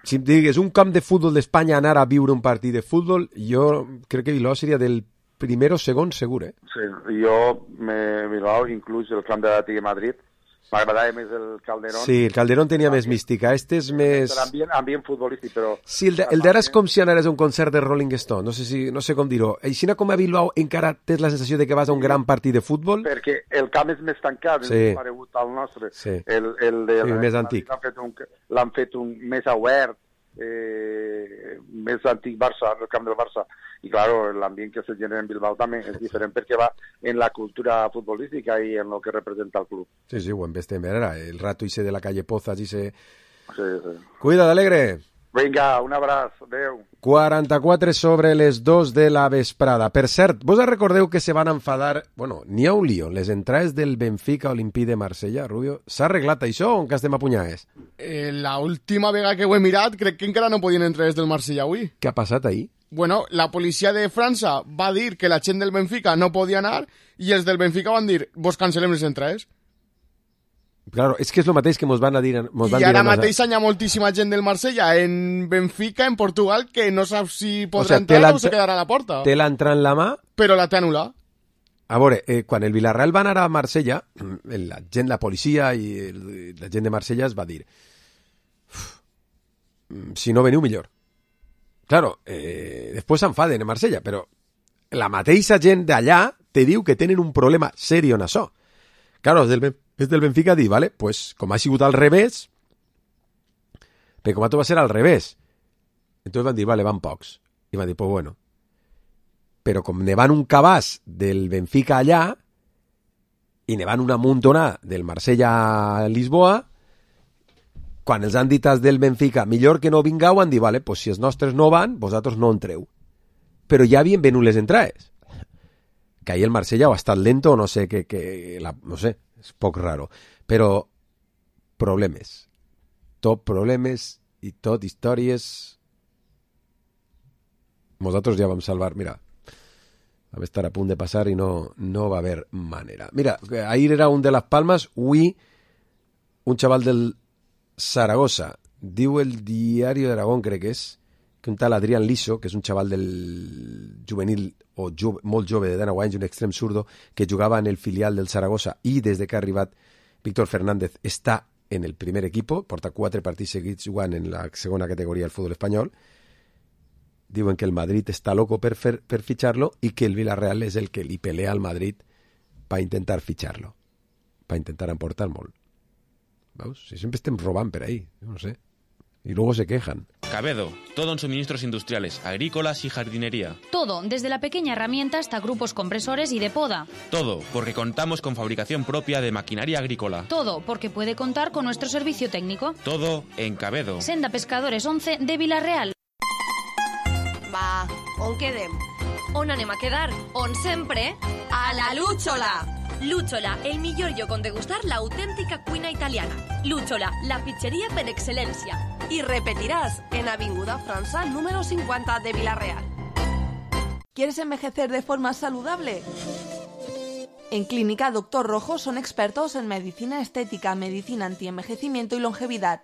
Si em digues un camp de futbol d'Espanya anar a viure un partit de futbol, jo crec que Bilbao seria del primer o segon segur, Sí, jo Bilbao, inclús el camp de l'Atlètic de Madrid, m'agradava més el Calderón. Sí, el Calderón tenia més mística, este és més... Ambient futbolístic, però... Sí, el d'ara és com si anares a un concert de Rolling Stone, no sé com dir-ho. Així com a Bilbao encara tens la sensació de que vas a un gran partit de futbol? Perquè el camp és més tancat, és més paregut al nostre. Sí, més antic. L'han fet un més obert, més antic Barça, el camp del Barça. I, claro, l'ambient que se genera en Bilbao també és diferent perquè va en la cultura futbolística i en el que representa el club. Sí, ho hem vist ara, el rato ese de la calle Pozas, Sí. Cuida, Alegre. Vinga, un abraç, adeu. 44 sobre les 2 de la vesprada. Per cert, vos recordeu que se van enfadar... Bueno, n'hi ha un lío. Les entrades del Benfica Olympique de Marsella, Rubio. S'ha arreglat això o encara estem a punyades? La última vegada que ho he mirat, crec que encara no podien entrar des del Marsella avui. Què ha passat ahir? Bueno, la policia de França va dir que la gent del Benfica no podia anar i els del Benfica van dir, vos cancel·lem les entrades. Claro, és que és el mateix que mos van a dir... I ara mateix hi ha moltíssima gent del Marsella en Benfica, en Portugal, que no sap si podrà entrar o se quedarà a la porta. Té l'entrada en la mà... Però la té anul·lat. A veure, quan el Villarreal va anar a Marsella, la gent, la policia i la gent de Marsella es va dir si no veniu millor. Claro, després s'enfaden a Marsella, però la mateixa gent d'allà te diu que tenen un problema serio en això. Claro, és del Benfica dir, vale, pues, com ha sigut al revés, perquè com va ser al revés. Entonces van dir, vale, van pocs. I van dir, pues bueno. Però com ne van un cabàs del Benfica allà i ne van una muntonada del Marsella a Lisboa, quan els han dit als del Benfica millor que no vingueu, han dit, vale, pues si els nostres no van, vosaltres no entreu. Però ja havien venut les entrades. Que ahir el Marsella ha estat lento, no sé, no sé, és poc raro. Però problemes. Tot problemes i tot històries. Nosaltres ja vam salvar, mira, vam estar a punt de passar i no va haver manera. Mira, ahir era un de Las Palmas, avui un chaval del Zaragoza, diu el Diario de Aragón, crec que és, que un tal Adrián Liso, que és un xaval del juvenil o molt jove de 19 anys, un extrem zurdo, que jugava en el filial del Zaragoza i des de que ha arribat Víctor Fernández està en el primer equipo, porta 4 partits seguits jugant en la segona categoria del futbol espanyol. Diuen que el Madrid està loco per fitxar-lo i que el Villarreal és el que li pelea al Madrid per intentar fitxar-lo, per intentar emportar molt. ¿Veus? Si siempre estem robant per ahí, no sé. Y luego se quejan. Cabedo, todo en suministros industriales, agrícolas y jardinería. Todo, desde la pequeña herramienta hasta grupos compresores y de poda. Todo, porque contamos con fabricación propia de maquinaria agrícola. Todo, porque puede contar con nuestro servicio técnico. Todo en Cabedo. Senda Pescadores 11 de Villarreal. Va, on quedem? On anem a quedar? On sempre? A la Lúchola! Lúchola, el millor lloc on degustar la auténtica cuina italiana. Lúchola, la pizzería per excelencia. Y repetirás en Avinguda França número 50 de Villarreal. ¿Quieres envejecer de forma saludable? En Clínica Doctor Rojo son expertos en medicina estética, medicina antienvejecimiento y longevidad.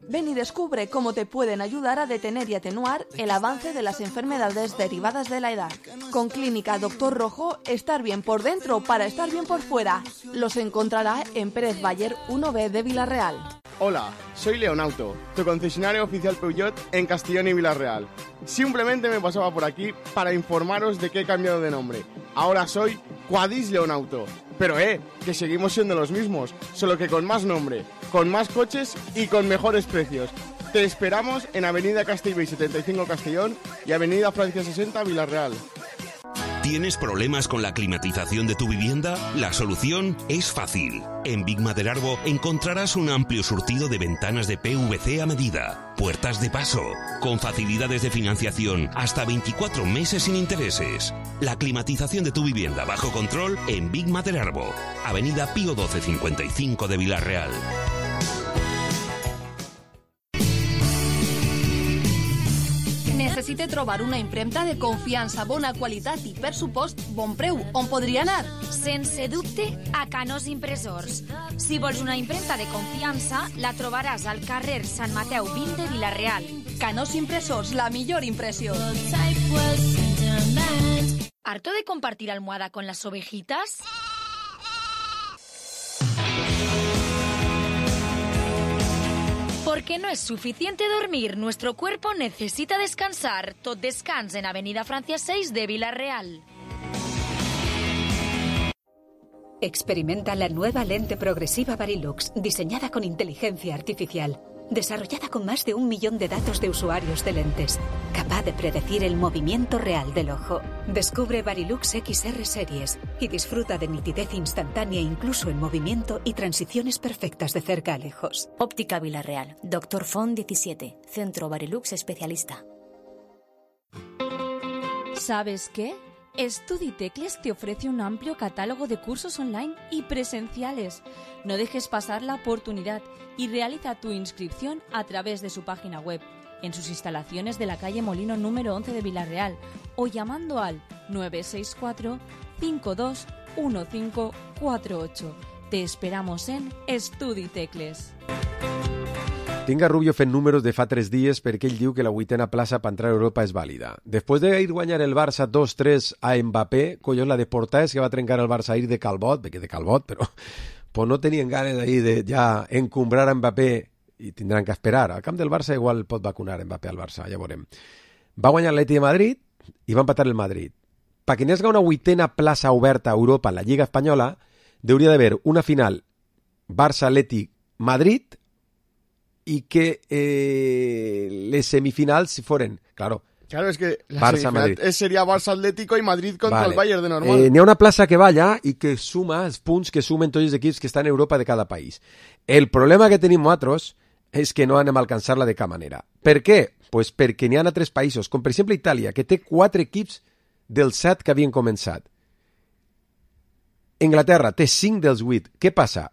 Ven y descubre cómo te pueden ayudar a detener y atenuar el avance de las enfermedades derivadas de la edad. Con Clínica Doctor Rojo, estar bien por dentro para estar bien por fuera. Los encontrará en Pérez Bayer 1B de Villarreal. Hola, soy Leonauto, tu concesionario oficial Peugeot en Castellón y Villarreal. Simplemente me pasaba por aquí para informaros de que he cambiado de nombre. Ahora soy Quadis Leonauto. Pero que seguimos siendo los mismos, solo que con más nombre, con más coches y con mejores precios. Te esperamos en Avenida Castellbell 75 Castellón y Avenida Francia 60 Villarreal. ¿Tienes problemas con la climatización de tu vivienda? La solución es fácil. En Big Maderarbo encontrarás un amplio surtido de ventanas de PVC a medida, puertas de paso, con facilidades de financiación hasta 24 meses sin intereses. La climatización de tu vivienda bajo control en Big Maderarbo, Avenida Pío 12 55 de Villarreal. Necessite trobar una impremta de confiança, bona qualitat i, per supost, bon preu. On podria anar? Sense dubte, a Canós Impressors. Si vols una impremta de confiança, la trobaràs al carrer Sant Mateu 20 de Villarreal. Canós Impressors, la millor impressió. ¿Harto de compartir almohada con las ovejitas? Porque no es suficiente dormir, nuestro cuerpo necesita descansar. Tot descans en Avenida Francia 6 de Villarreal. Experimenta la nueva lente progresiva Varilux, diseñada con inteligencia artificial, desarrollada con más de 1 millón de datos de usuarios de lentes, capaz de predecir el movimiento real del ojo. Descubre Varilux XR Series y disfruta de nitidez instantánea incluso en movimiento y transiciones perfectas de cerca a lejos. Óptica Villarreal, Dr. Font 17, Centro Varilux Especialista. ¿Sabes qué? StudyTecles te ofrece un amplio catálogo de cursos online y presenciales. No dejes pasar la oportunidad y realiza tu inscripción a través de su página web, en sus instalaciones de la calle Molino número 11 de Villarreal o llamando al 964 521548. Te esperamos en StudyTecles. Tinc a Rubio fent números de fa 3 dies perquè ell diu que la 8ª plaça per entrar a Europa és vàlida. Després d'ir guanyar el Barça 2-3 a Mbappé, collons, la de Porta és que va trencar el Barça ahir de Calbot, perquè de Calbot, però pues no tenien ganes ahir de ja encumbrar a Mbappé i tindran que esperar. Al camp del Barça igual pot vacunar Mbappé al Barça, ja veurem. Va guanyar l'Atleti de Madrid i va empatar el Madrid. Perquè n'hi hagi una 8ª plaça oberta a Europa en la Lliga Espanyola, hauria d'haver una final Barça-Atleti-Madrid y que les semifinals si fueran, claro, es que la Barça, Madrid. Sería Barça Atlético y Madrid contra el Bayern de normal. N'hi ha una plaça que va allà i que suma els punts que sumen tots els equips que estan en Europa de cada país. El problema que tenim nosaltres és que no anem a alcançar-la de cap manera. Per què? Pues perquè n'hi ha 3 països, com per exemple Itàlia, que té 4 equips dels 7 que havien començat. Anglaterra té 5 dels 8. Què passa?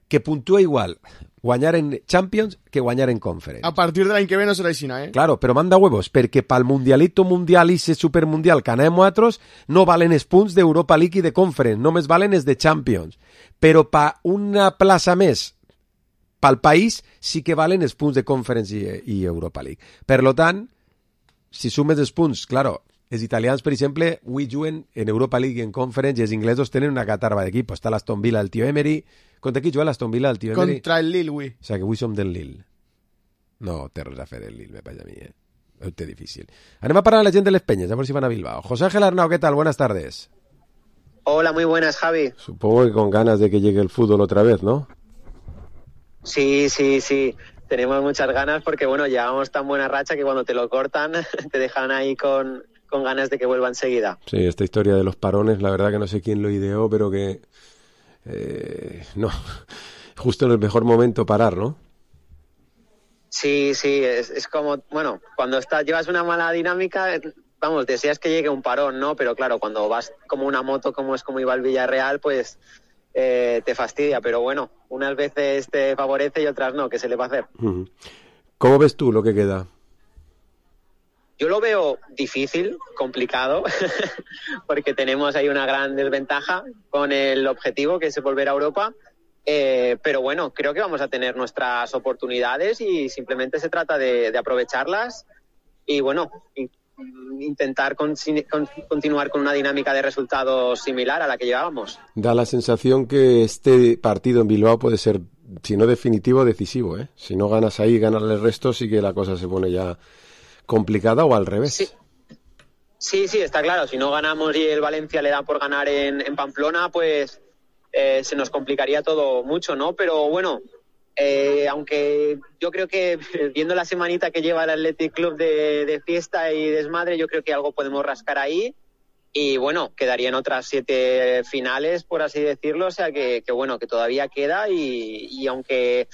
Que puntua igual guanyar en Champions que guanyar en Conference. A partir de l'any que ve no serà així, Claro, però manda huevos, perquè pel Mundialito Mundial i ese Supermundial que anem nosaltres no valen els punts d'Europa League i de Conference, només valen els de Champions. Però per una plaça més pel país sí que valen els punts de Conference i Europa League. Per lo tant, si sumes els punts, claro, els italians, per exemple, avui juguen en Europa League i en Conference, i els inglesos tenen una catarba d'equip. Està l'Aston Villa del tio Emery. Contra qui juga l'Aston Villa del tio Emery? Contra el Lille, avui. O sigui que avui som del Lille. No té res a fer el Lille, me parece a mi, Ho té difícil. Anem a parar a la gent de les penyes, a ver si van a Bilbao. José Ángel Arnau, ¿qué tal? Buenas tardes. Hola, muy buenas, Javi. Supongo que con ganas de que llegue el fútbol otra vez, ¿no? Sí. Tenemos muchas ganas porque, bueno, llevamos tan buena racha que cuando te lo cortan te dejan ahí con ganas de que vuelva enseguida. Sí, esta historia de los parones, la verdad que no sé quién lo ideó, pero que... no, justo en el mejor momento parar, ¿no? Sí, es como, bueno, cuando llevas una mala dinámica, vamos, deseas que llegue un parón, ¿no? Pero claro, cuando vas como una moto, como iba el Villarreal, pues te fastidia. Pero bueno, unas veces te favorece y otras no, ¿qué se le va a hacer? ¿Cómo ves tú lo que queda? Yo lo veo difícil, complicado, porque tenemos ahí una gran desventaja con el objetivo, que es volver a Europa. Pero bueno, creo que vamos a tener nuestras oportunidades y simplemente se trata de aprovecharlas y bueno, intentar continuar con una dinámica de resultados similar a la que llevábamos. Da la sensación que este partido en Bilbao puede ser, si no definitivo, decisivo, ¿eh? Si no ganas ahí, ganarle el resto, sí que la cosa se pone ya complicada, o al revés. Sí, está claro. Si no ganamos y el Valencia le da por ganar en Pamplona, pues se nos complicaría todo mucho, ¿no? Pero bueno, aunque yo creo que viendo la semanita que lleva el Athletic Club de fiesta y desmadre, yo creo que algo podemos rascar ahí y bueno, quedarían otras 7 finales, por así decirlo, o sea que bueno, que todavía queda y aunque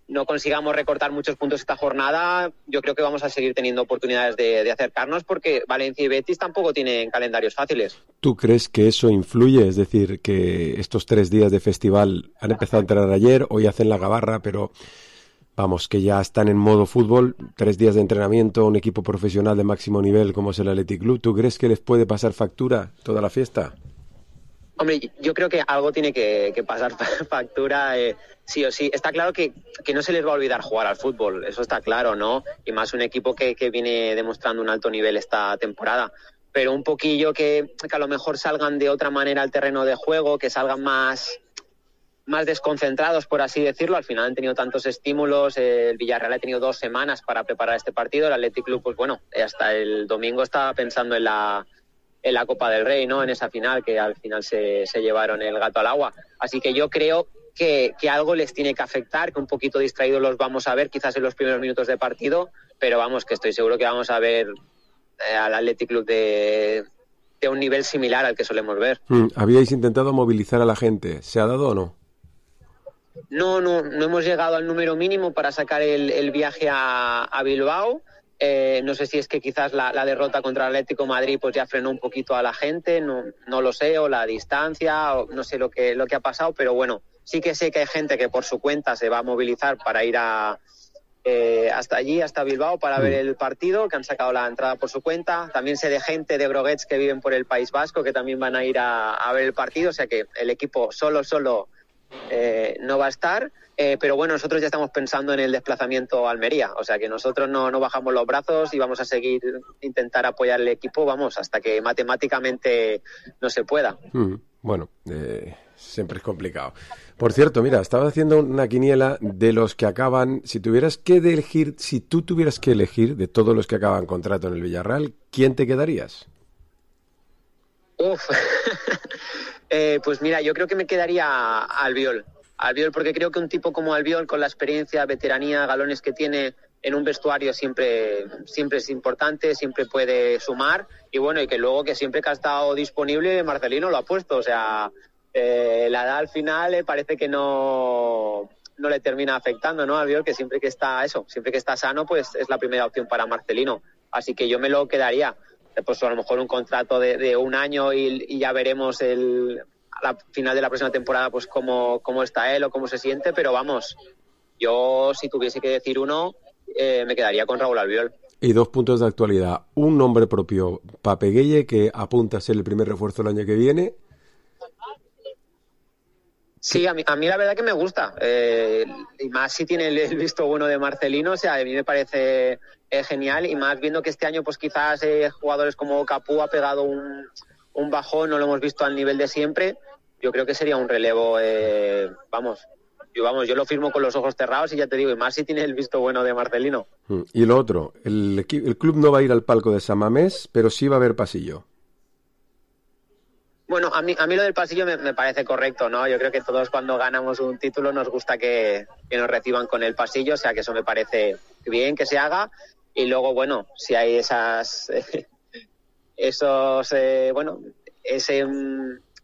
no consigamos recortar muchos puntos esta jornada, yo creo que vamos a seguir teniendo oportunidades de acercarnos porque Valencia y Betis tampoco tienen calendarios fáciles. ¿Tú crees que eso influye? Es decir, que estos 3 días de festival han empezado a entrenar ayer, hoy hacen la gabarra, pero vamos, que ya están en modo fútbol, 3 días de entrenamiento, un equipo profesional de máximo nivel como es el Athletic Club. ¿Tú crees que les puede pasar factura toda la fiesta? Hombre, yo creo que algo tiene que pasar factura, sí o sí. Está claro que no se les va a olvidar jugar al fútbol, eso está claro, ¿no? Y más un equipo que viene demostrando un alto nivel esta temporada. Pero un poquillo que a lo mejor salgan de otra manera al terreno de juego, que salgan más desconcentrados, por así decirlo. Al final han tenido tantos estímulos, el Villarreal ha tenido 2 semanas para preparar este partido, el Athletic Club, pues bueno, hasta el domingo estaba pensando en la Copa del Rey, ¿no? En esa final, que al final se llevaron el gato al agua. Así que yo creo que algo les tiene que afectar, que un poquito distraídos los vamos a ver quizás en los primeros minutos de partido, pero vamos, que estoy seguro que vamos a ver al Athletic Club de un nivel similar al que solemos ver. ¿Habíais intentado movilizar a la gente? ¿Se ha dado o no? No hemos llegado al número mínimo para sacar el viaje a Bilbao. No sé si es que quizás la derrota contra el Atlético Madrid pues ya frenó un poquito a la gente, no lo sé, o la distancia, o no sé lo que ha pasado, pero bueno, sí que sé que hay gente que por su cuenta se va a movilizar para ir hasta allí, hasta Bilbao, para ver el partido, que han sacado la entrada por su cuenta. También sé de gente de Broguets que viven por el País Vasco que también van a ir a ver el partido, o sea que el equipo solo no va a estar, pero bueno, nosotros ya estamos pensando en el desplazamiento a Almería, o sea que nosotros no bajamos los brazos y vamos a seguir intentar apoyar el equipo, vamos, hasta que matemáticamente no se pueda. Bueno, siempre es complicado. Por cierto, mira, estaba haciendo una quiniela de los que acaban, si tú tuvieras que elegir de todos los que acaban contrato en el Villarreal, ¿quién te quedarías? Pues mira, yo creo que me quedaría Albiol, porque creo que un tipo como Albiol, con la experiencia, veteranía, galones que tiene en un vestuario, siempre es importante, siempre puede sumar, y bueno, y que luego que siempre que ha estado disponible Marcelino lo ha puesto, o sea, la edad al final parece que no le termina afectando, ¿no? Albiol, que siempre que está sano, pues es la primera opción para Marcelino, así que yo me lo quedaría. Pues a lo mejor un contrato de 1 año y ya veremos a la final de la próxima temporada pues cómo está él o cómo se siente, pero vamos, yo si tuviese que decir uno, me quedaría con Raúl Albiol. Y 2 puntos de actualidad, un nombre propio, Pape Gueye, que apunta a ser el primer refuerzo el año que viene. Sí, a mí la verdad que me gusta. Y más si tiene el visto bueno de Marcelino, o sea, a mí me parece genial. Y más viendo que este año pues quizás jugadores como Capú ha pegado un bajón, no lo hemos visto al nivel de siempre. Yo creo que sería un relevo, yo lo firmo con los ojos cerrados y ya te digo, y más si tiene el visto bueno de Marcelino. Y lo otro, el club no va a ir al palco de San Mamés, pero sí va a haber pasillo. Bueno, a mí lo del pasillo me parece correcto, ¿no? Yo creo que todos cuando ganamos un título nos gusta que nos reciban con el pasillo, o sea que eso me parece bien que se haga. Y luego, bueno, si hay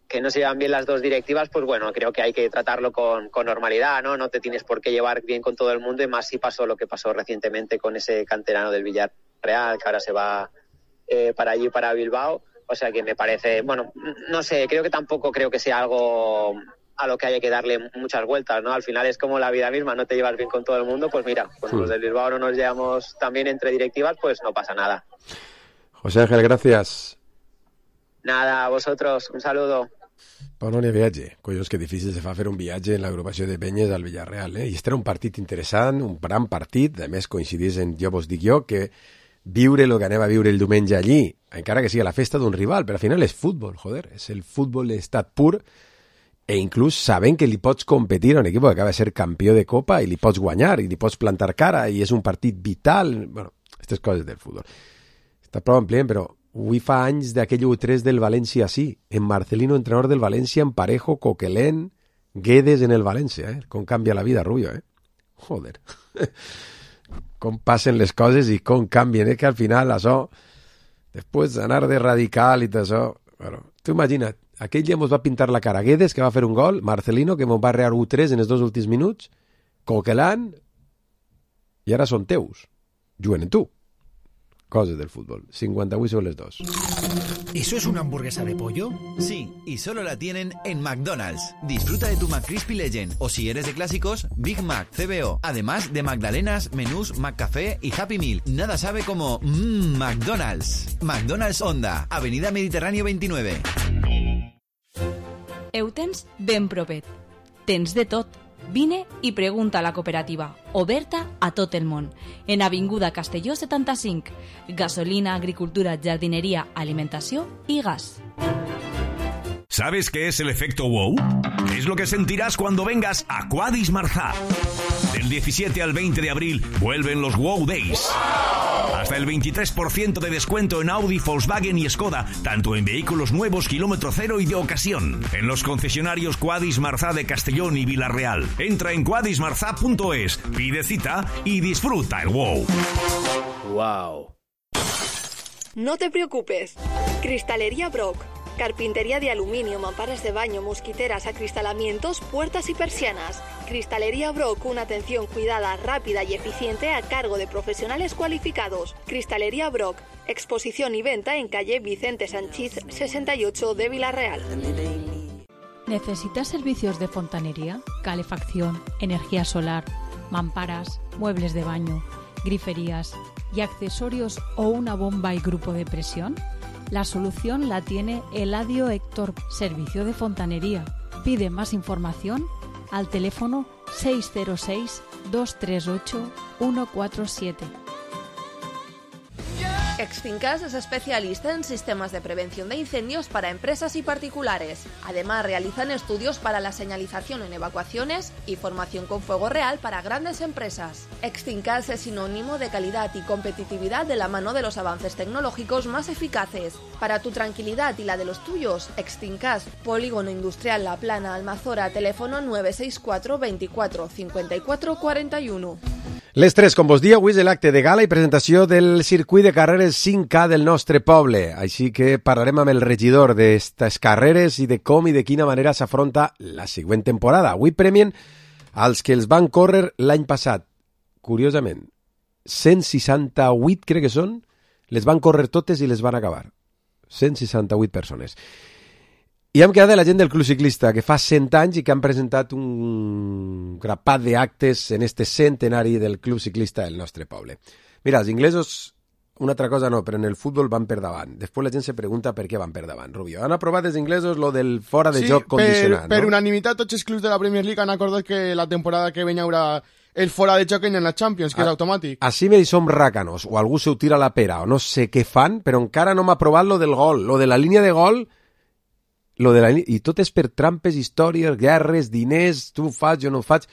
que no se llevan bien las dos directivas, pues bueno, creo que hay que tratarlo con normalidad, ¿no? No te tienes por qué llevar bien con todo el mundo, y más si pasó lo que pasó recientemente con ese canterano del Villarreal, que ahora se va para allí, para Bilbao. O sea que me parece, bueno, no sé, tampoco creo que sea algo a lo que haya que darle muchas vueltas, ¿no? Al final es como la vida misma, no te llevas bien con todo el mundo, pues mira, pues los del Bilbao no nos llevamos también entre directivas, pues no pasa nada. José Ángel, gracias. Nada, a vosotros, un saludo. Però no n'hi ha viatge. Collons, que difícil se fa fer un viatge en l'agrupació de penyes al Villarreal, I este era un partit interessant, un gran partit, a més coincidís en, jo vos dic jo, que viure el que anem a viure el diumenge allí, encara que sigui la festa d'un rival, però al final és futbol, joder, és el futbol d'estat pur, e inclús sabent que li pots competir a un equip que acaba de ser campió de Copa i li pots guanyar, i li pots plantar cara, i és un partit vital, bueno, aquestes coses del futbol. Està prou amplient, però avui fa anys d'aquell 1-3 del València, sí, en Marcelino, entrenador del València, en Parejo, Coquelin, Guedes en el València, com canvia la vida, Rubio, joder. Com passen les coses i com canvien, que al final això, després d'anar de radical i tot això, bueno, tu imagina't, aquell dia mos va pintar la cara Guedes, que va fer un gol, Marcelino, que mos va rear 1-3 en els 2 últims minuts, Coquelin, i ara són teus, juguen en tu. Cosas del fútbol. 58 sobre las 2. ¿Eso es una hamburguesa de pollo? Sí, y solo la tienen en McDonald's. Disfruta de tu McCrispy Legend, o si eres de clásicos, Big Mac, CBO. Además de Magdalenas, menús, McCafé y Happy Meal. Nada sabe como McDonald's. McDonald's Honda, Avenida Mediterráneo 29. Eutens ben propet. Tens de tot. Vine i pregunta a la cooperativa, oberta a tot el món, en Avinguda Castelló 75, gasolina, agricultura, jardinería, alimentació i gas. ¿Sabes qué es el efecto wow? Es lo que sentirás cuando vengas a Quadis Marzá. Del 17 al 20 de abril vuelven los Wow Days. Hasta el 23% de descuento en Audi, Volkswagen y Skoda, tanto en vehículos nuevos, kilómetro cero y de ocasión. En los concesionarios Quadis Marzá de Castellón y Villarreal. Entra en quadismarzá.es, pide cita y disfruta el wow. Wow. No te preocupes. Cristalería Brock. Carpintería de aluminio, mamparas de baño, mosquiteras, acristalamientos, puertas y persianas. Cristalería Brock, una atención cuidada, rápida y eficiente a cargo de profesionales cualificados. Cristalería Brock, exposición y venta en calle Vicente Sanchís 68 de Villarreal. ¿Necesitas servicios de fontanería, calefacción, energía solar, mamparas, muebles de baño, griferías y accesorios o una bomba y grupo de presión? La solución la tiene Eladio Héctor, servicio de fontanería. Pide más información al teléfono 606-238-147. Extincas es especialista en sistemas de prevención de incendios para empresas y particulares. Además, realizan estudios para la señalización en evacuaciones y formación con fuego real para grandes empresas. Extincas es sinónimo de calidad y competitividad de la mano de los avances tecnológicos más eficaces. Para tu tranquilidad y la de los tuyos, Extincas, Polígono Industrial La Plana, Almazora, teléfono 964 24 54 41. Les 3, com vos dia, avui és l'acte de gala i presentació del circuit de carreres 5K del nostre poble. Així que parlarem amb el regidor d'estes carreres i de com i de quina manera s'afronta la següent temporada. Avui premien als que els van córrer l'any passat. Curiosament, 168 crec que són, les van córrer totes i les van acabar. 168 persones. I hem quedat de la gent del Club Ciclista, que fa 100 anys i que han presentat un grapat d'actes en este centenari del Club Ciclista del nostre poble. Mira, els inglesos una altra cosa no, però en el futbol van per davant. Després la gent se pregunta per què van per davant, Rubio. Han aprovat els inglesos lo del fora de joc condicionat, per no? unanimitat tots els clubs de la Premier League han acordat que la temporada que ven hi haurà el fora de joc en la Champions, que és automàtic. Així me som ràcanos, o algú se ho tira a la pera, o no sé què fan, però encara no m'ha aprovat lo del gol, lo de la línia de gol, i tot és per trampes, històries, guerres, diners, tu ho fas, jo no ho faig.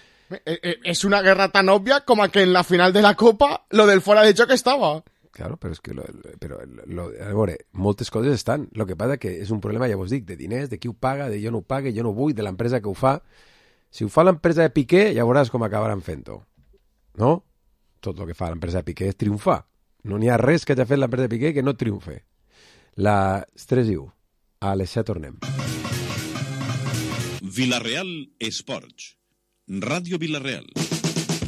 És una guerra tan òbvia com que en la final de la Copa lo del fora de joc estava. Claro, però és que a veure, moltes coses estan. El que passa que és un problema, ja vos dic, de diners, de qui ho paga, de jo no ho pague, jo no vull, de l'empresa que ho fa. Si ho fa l'empresa de Piqué, ja veuràs com acabaran fent-ho. No? Tot el que fa l'empresa de Piqué és triomfar. No n'hi ha res que hagi fet l'empresa de Piqué que no triomfe. Les 3:01. A les 7 tornem. Vilareal Esports. Ràdio Vilareal.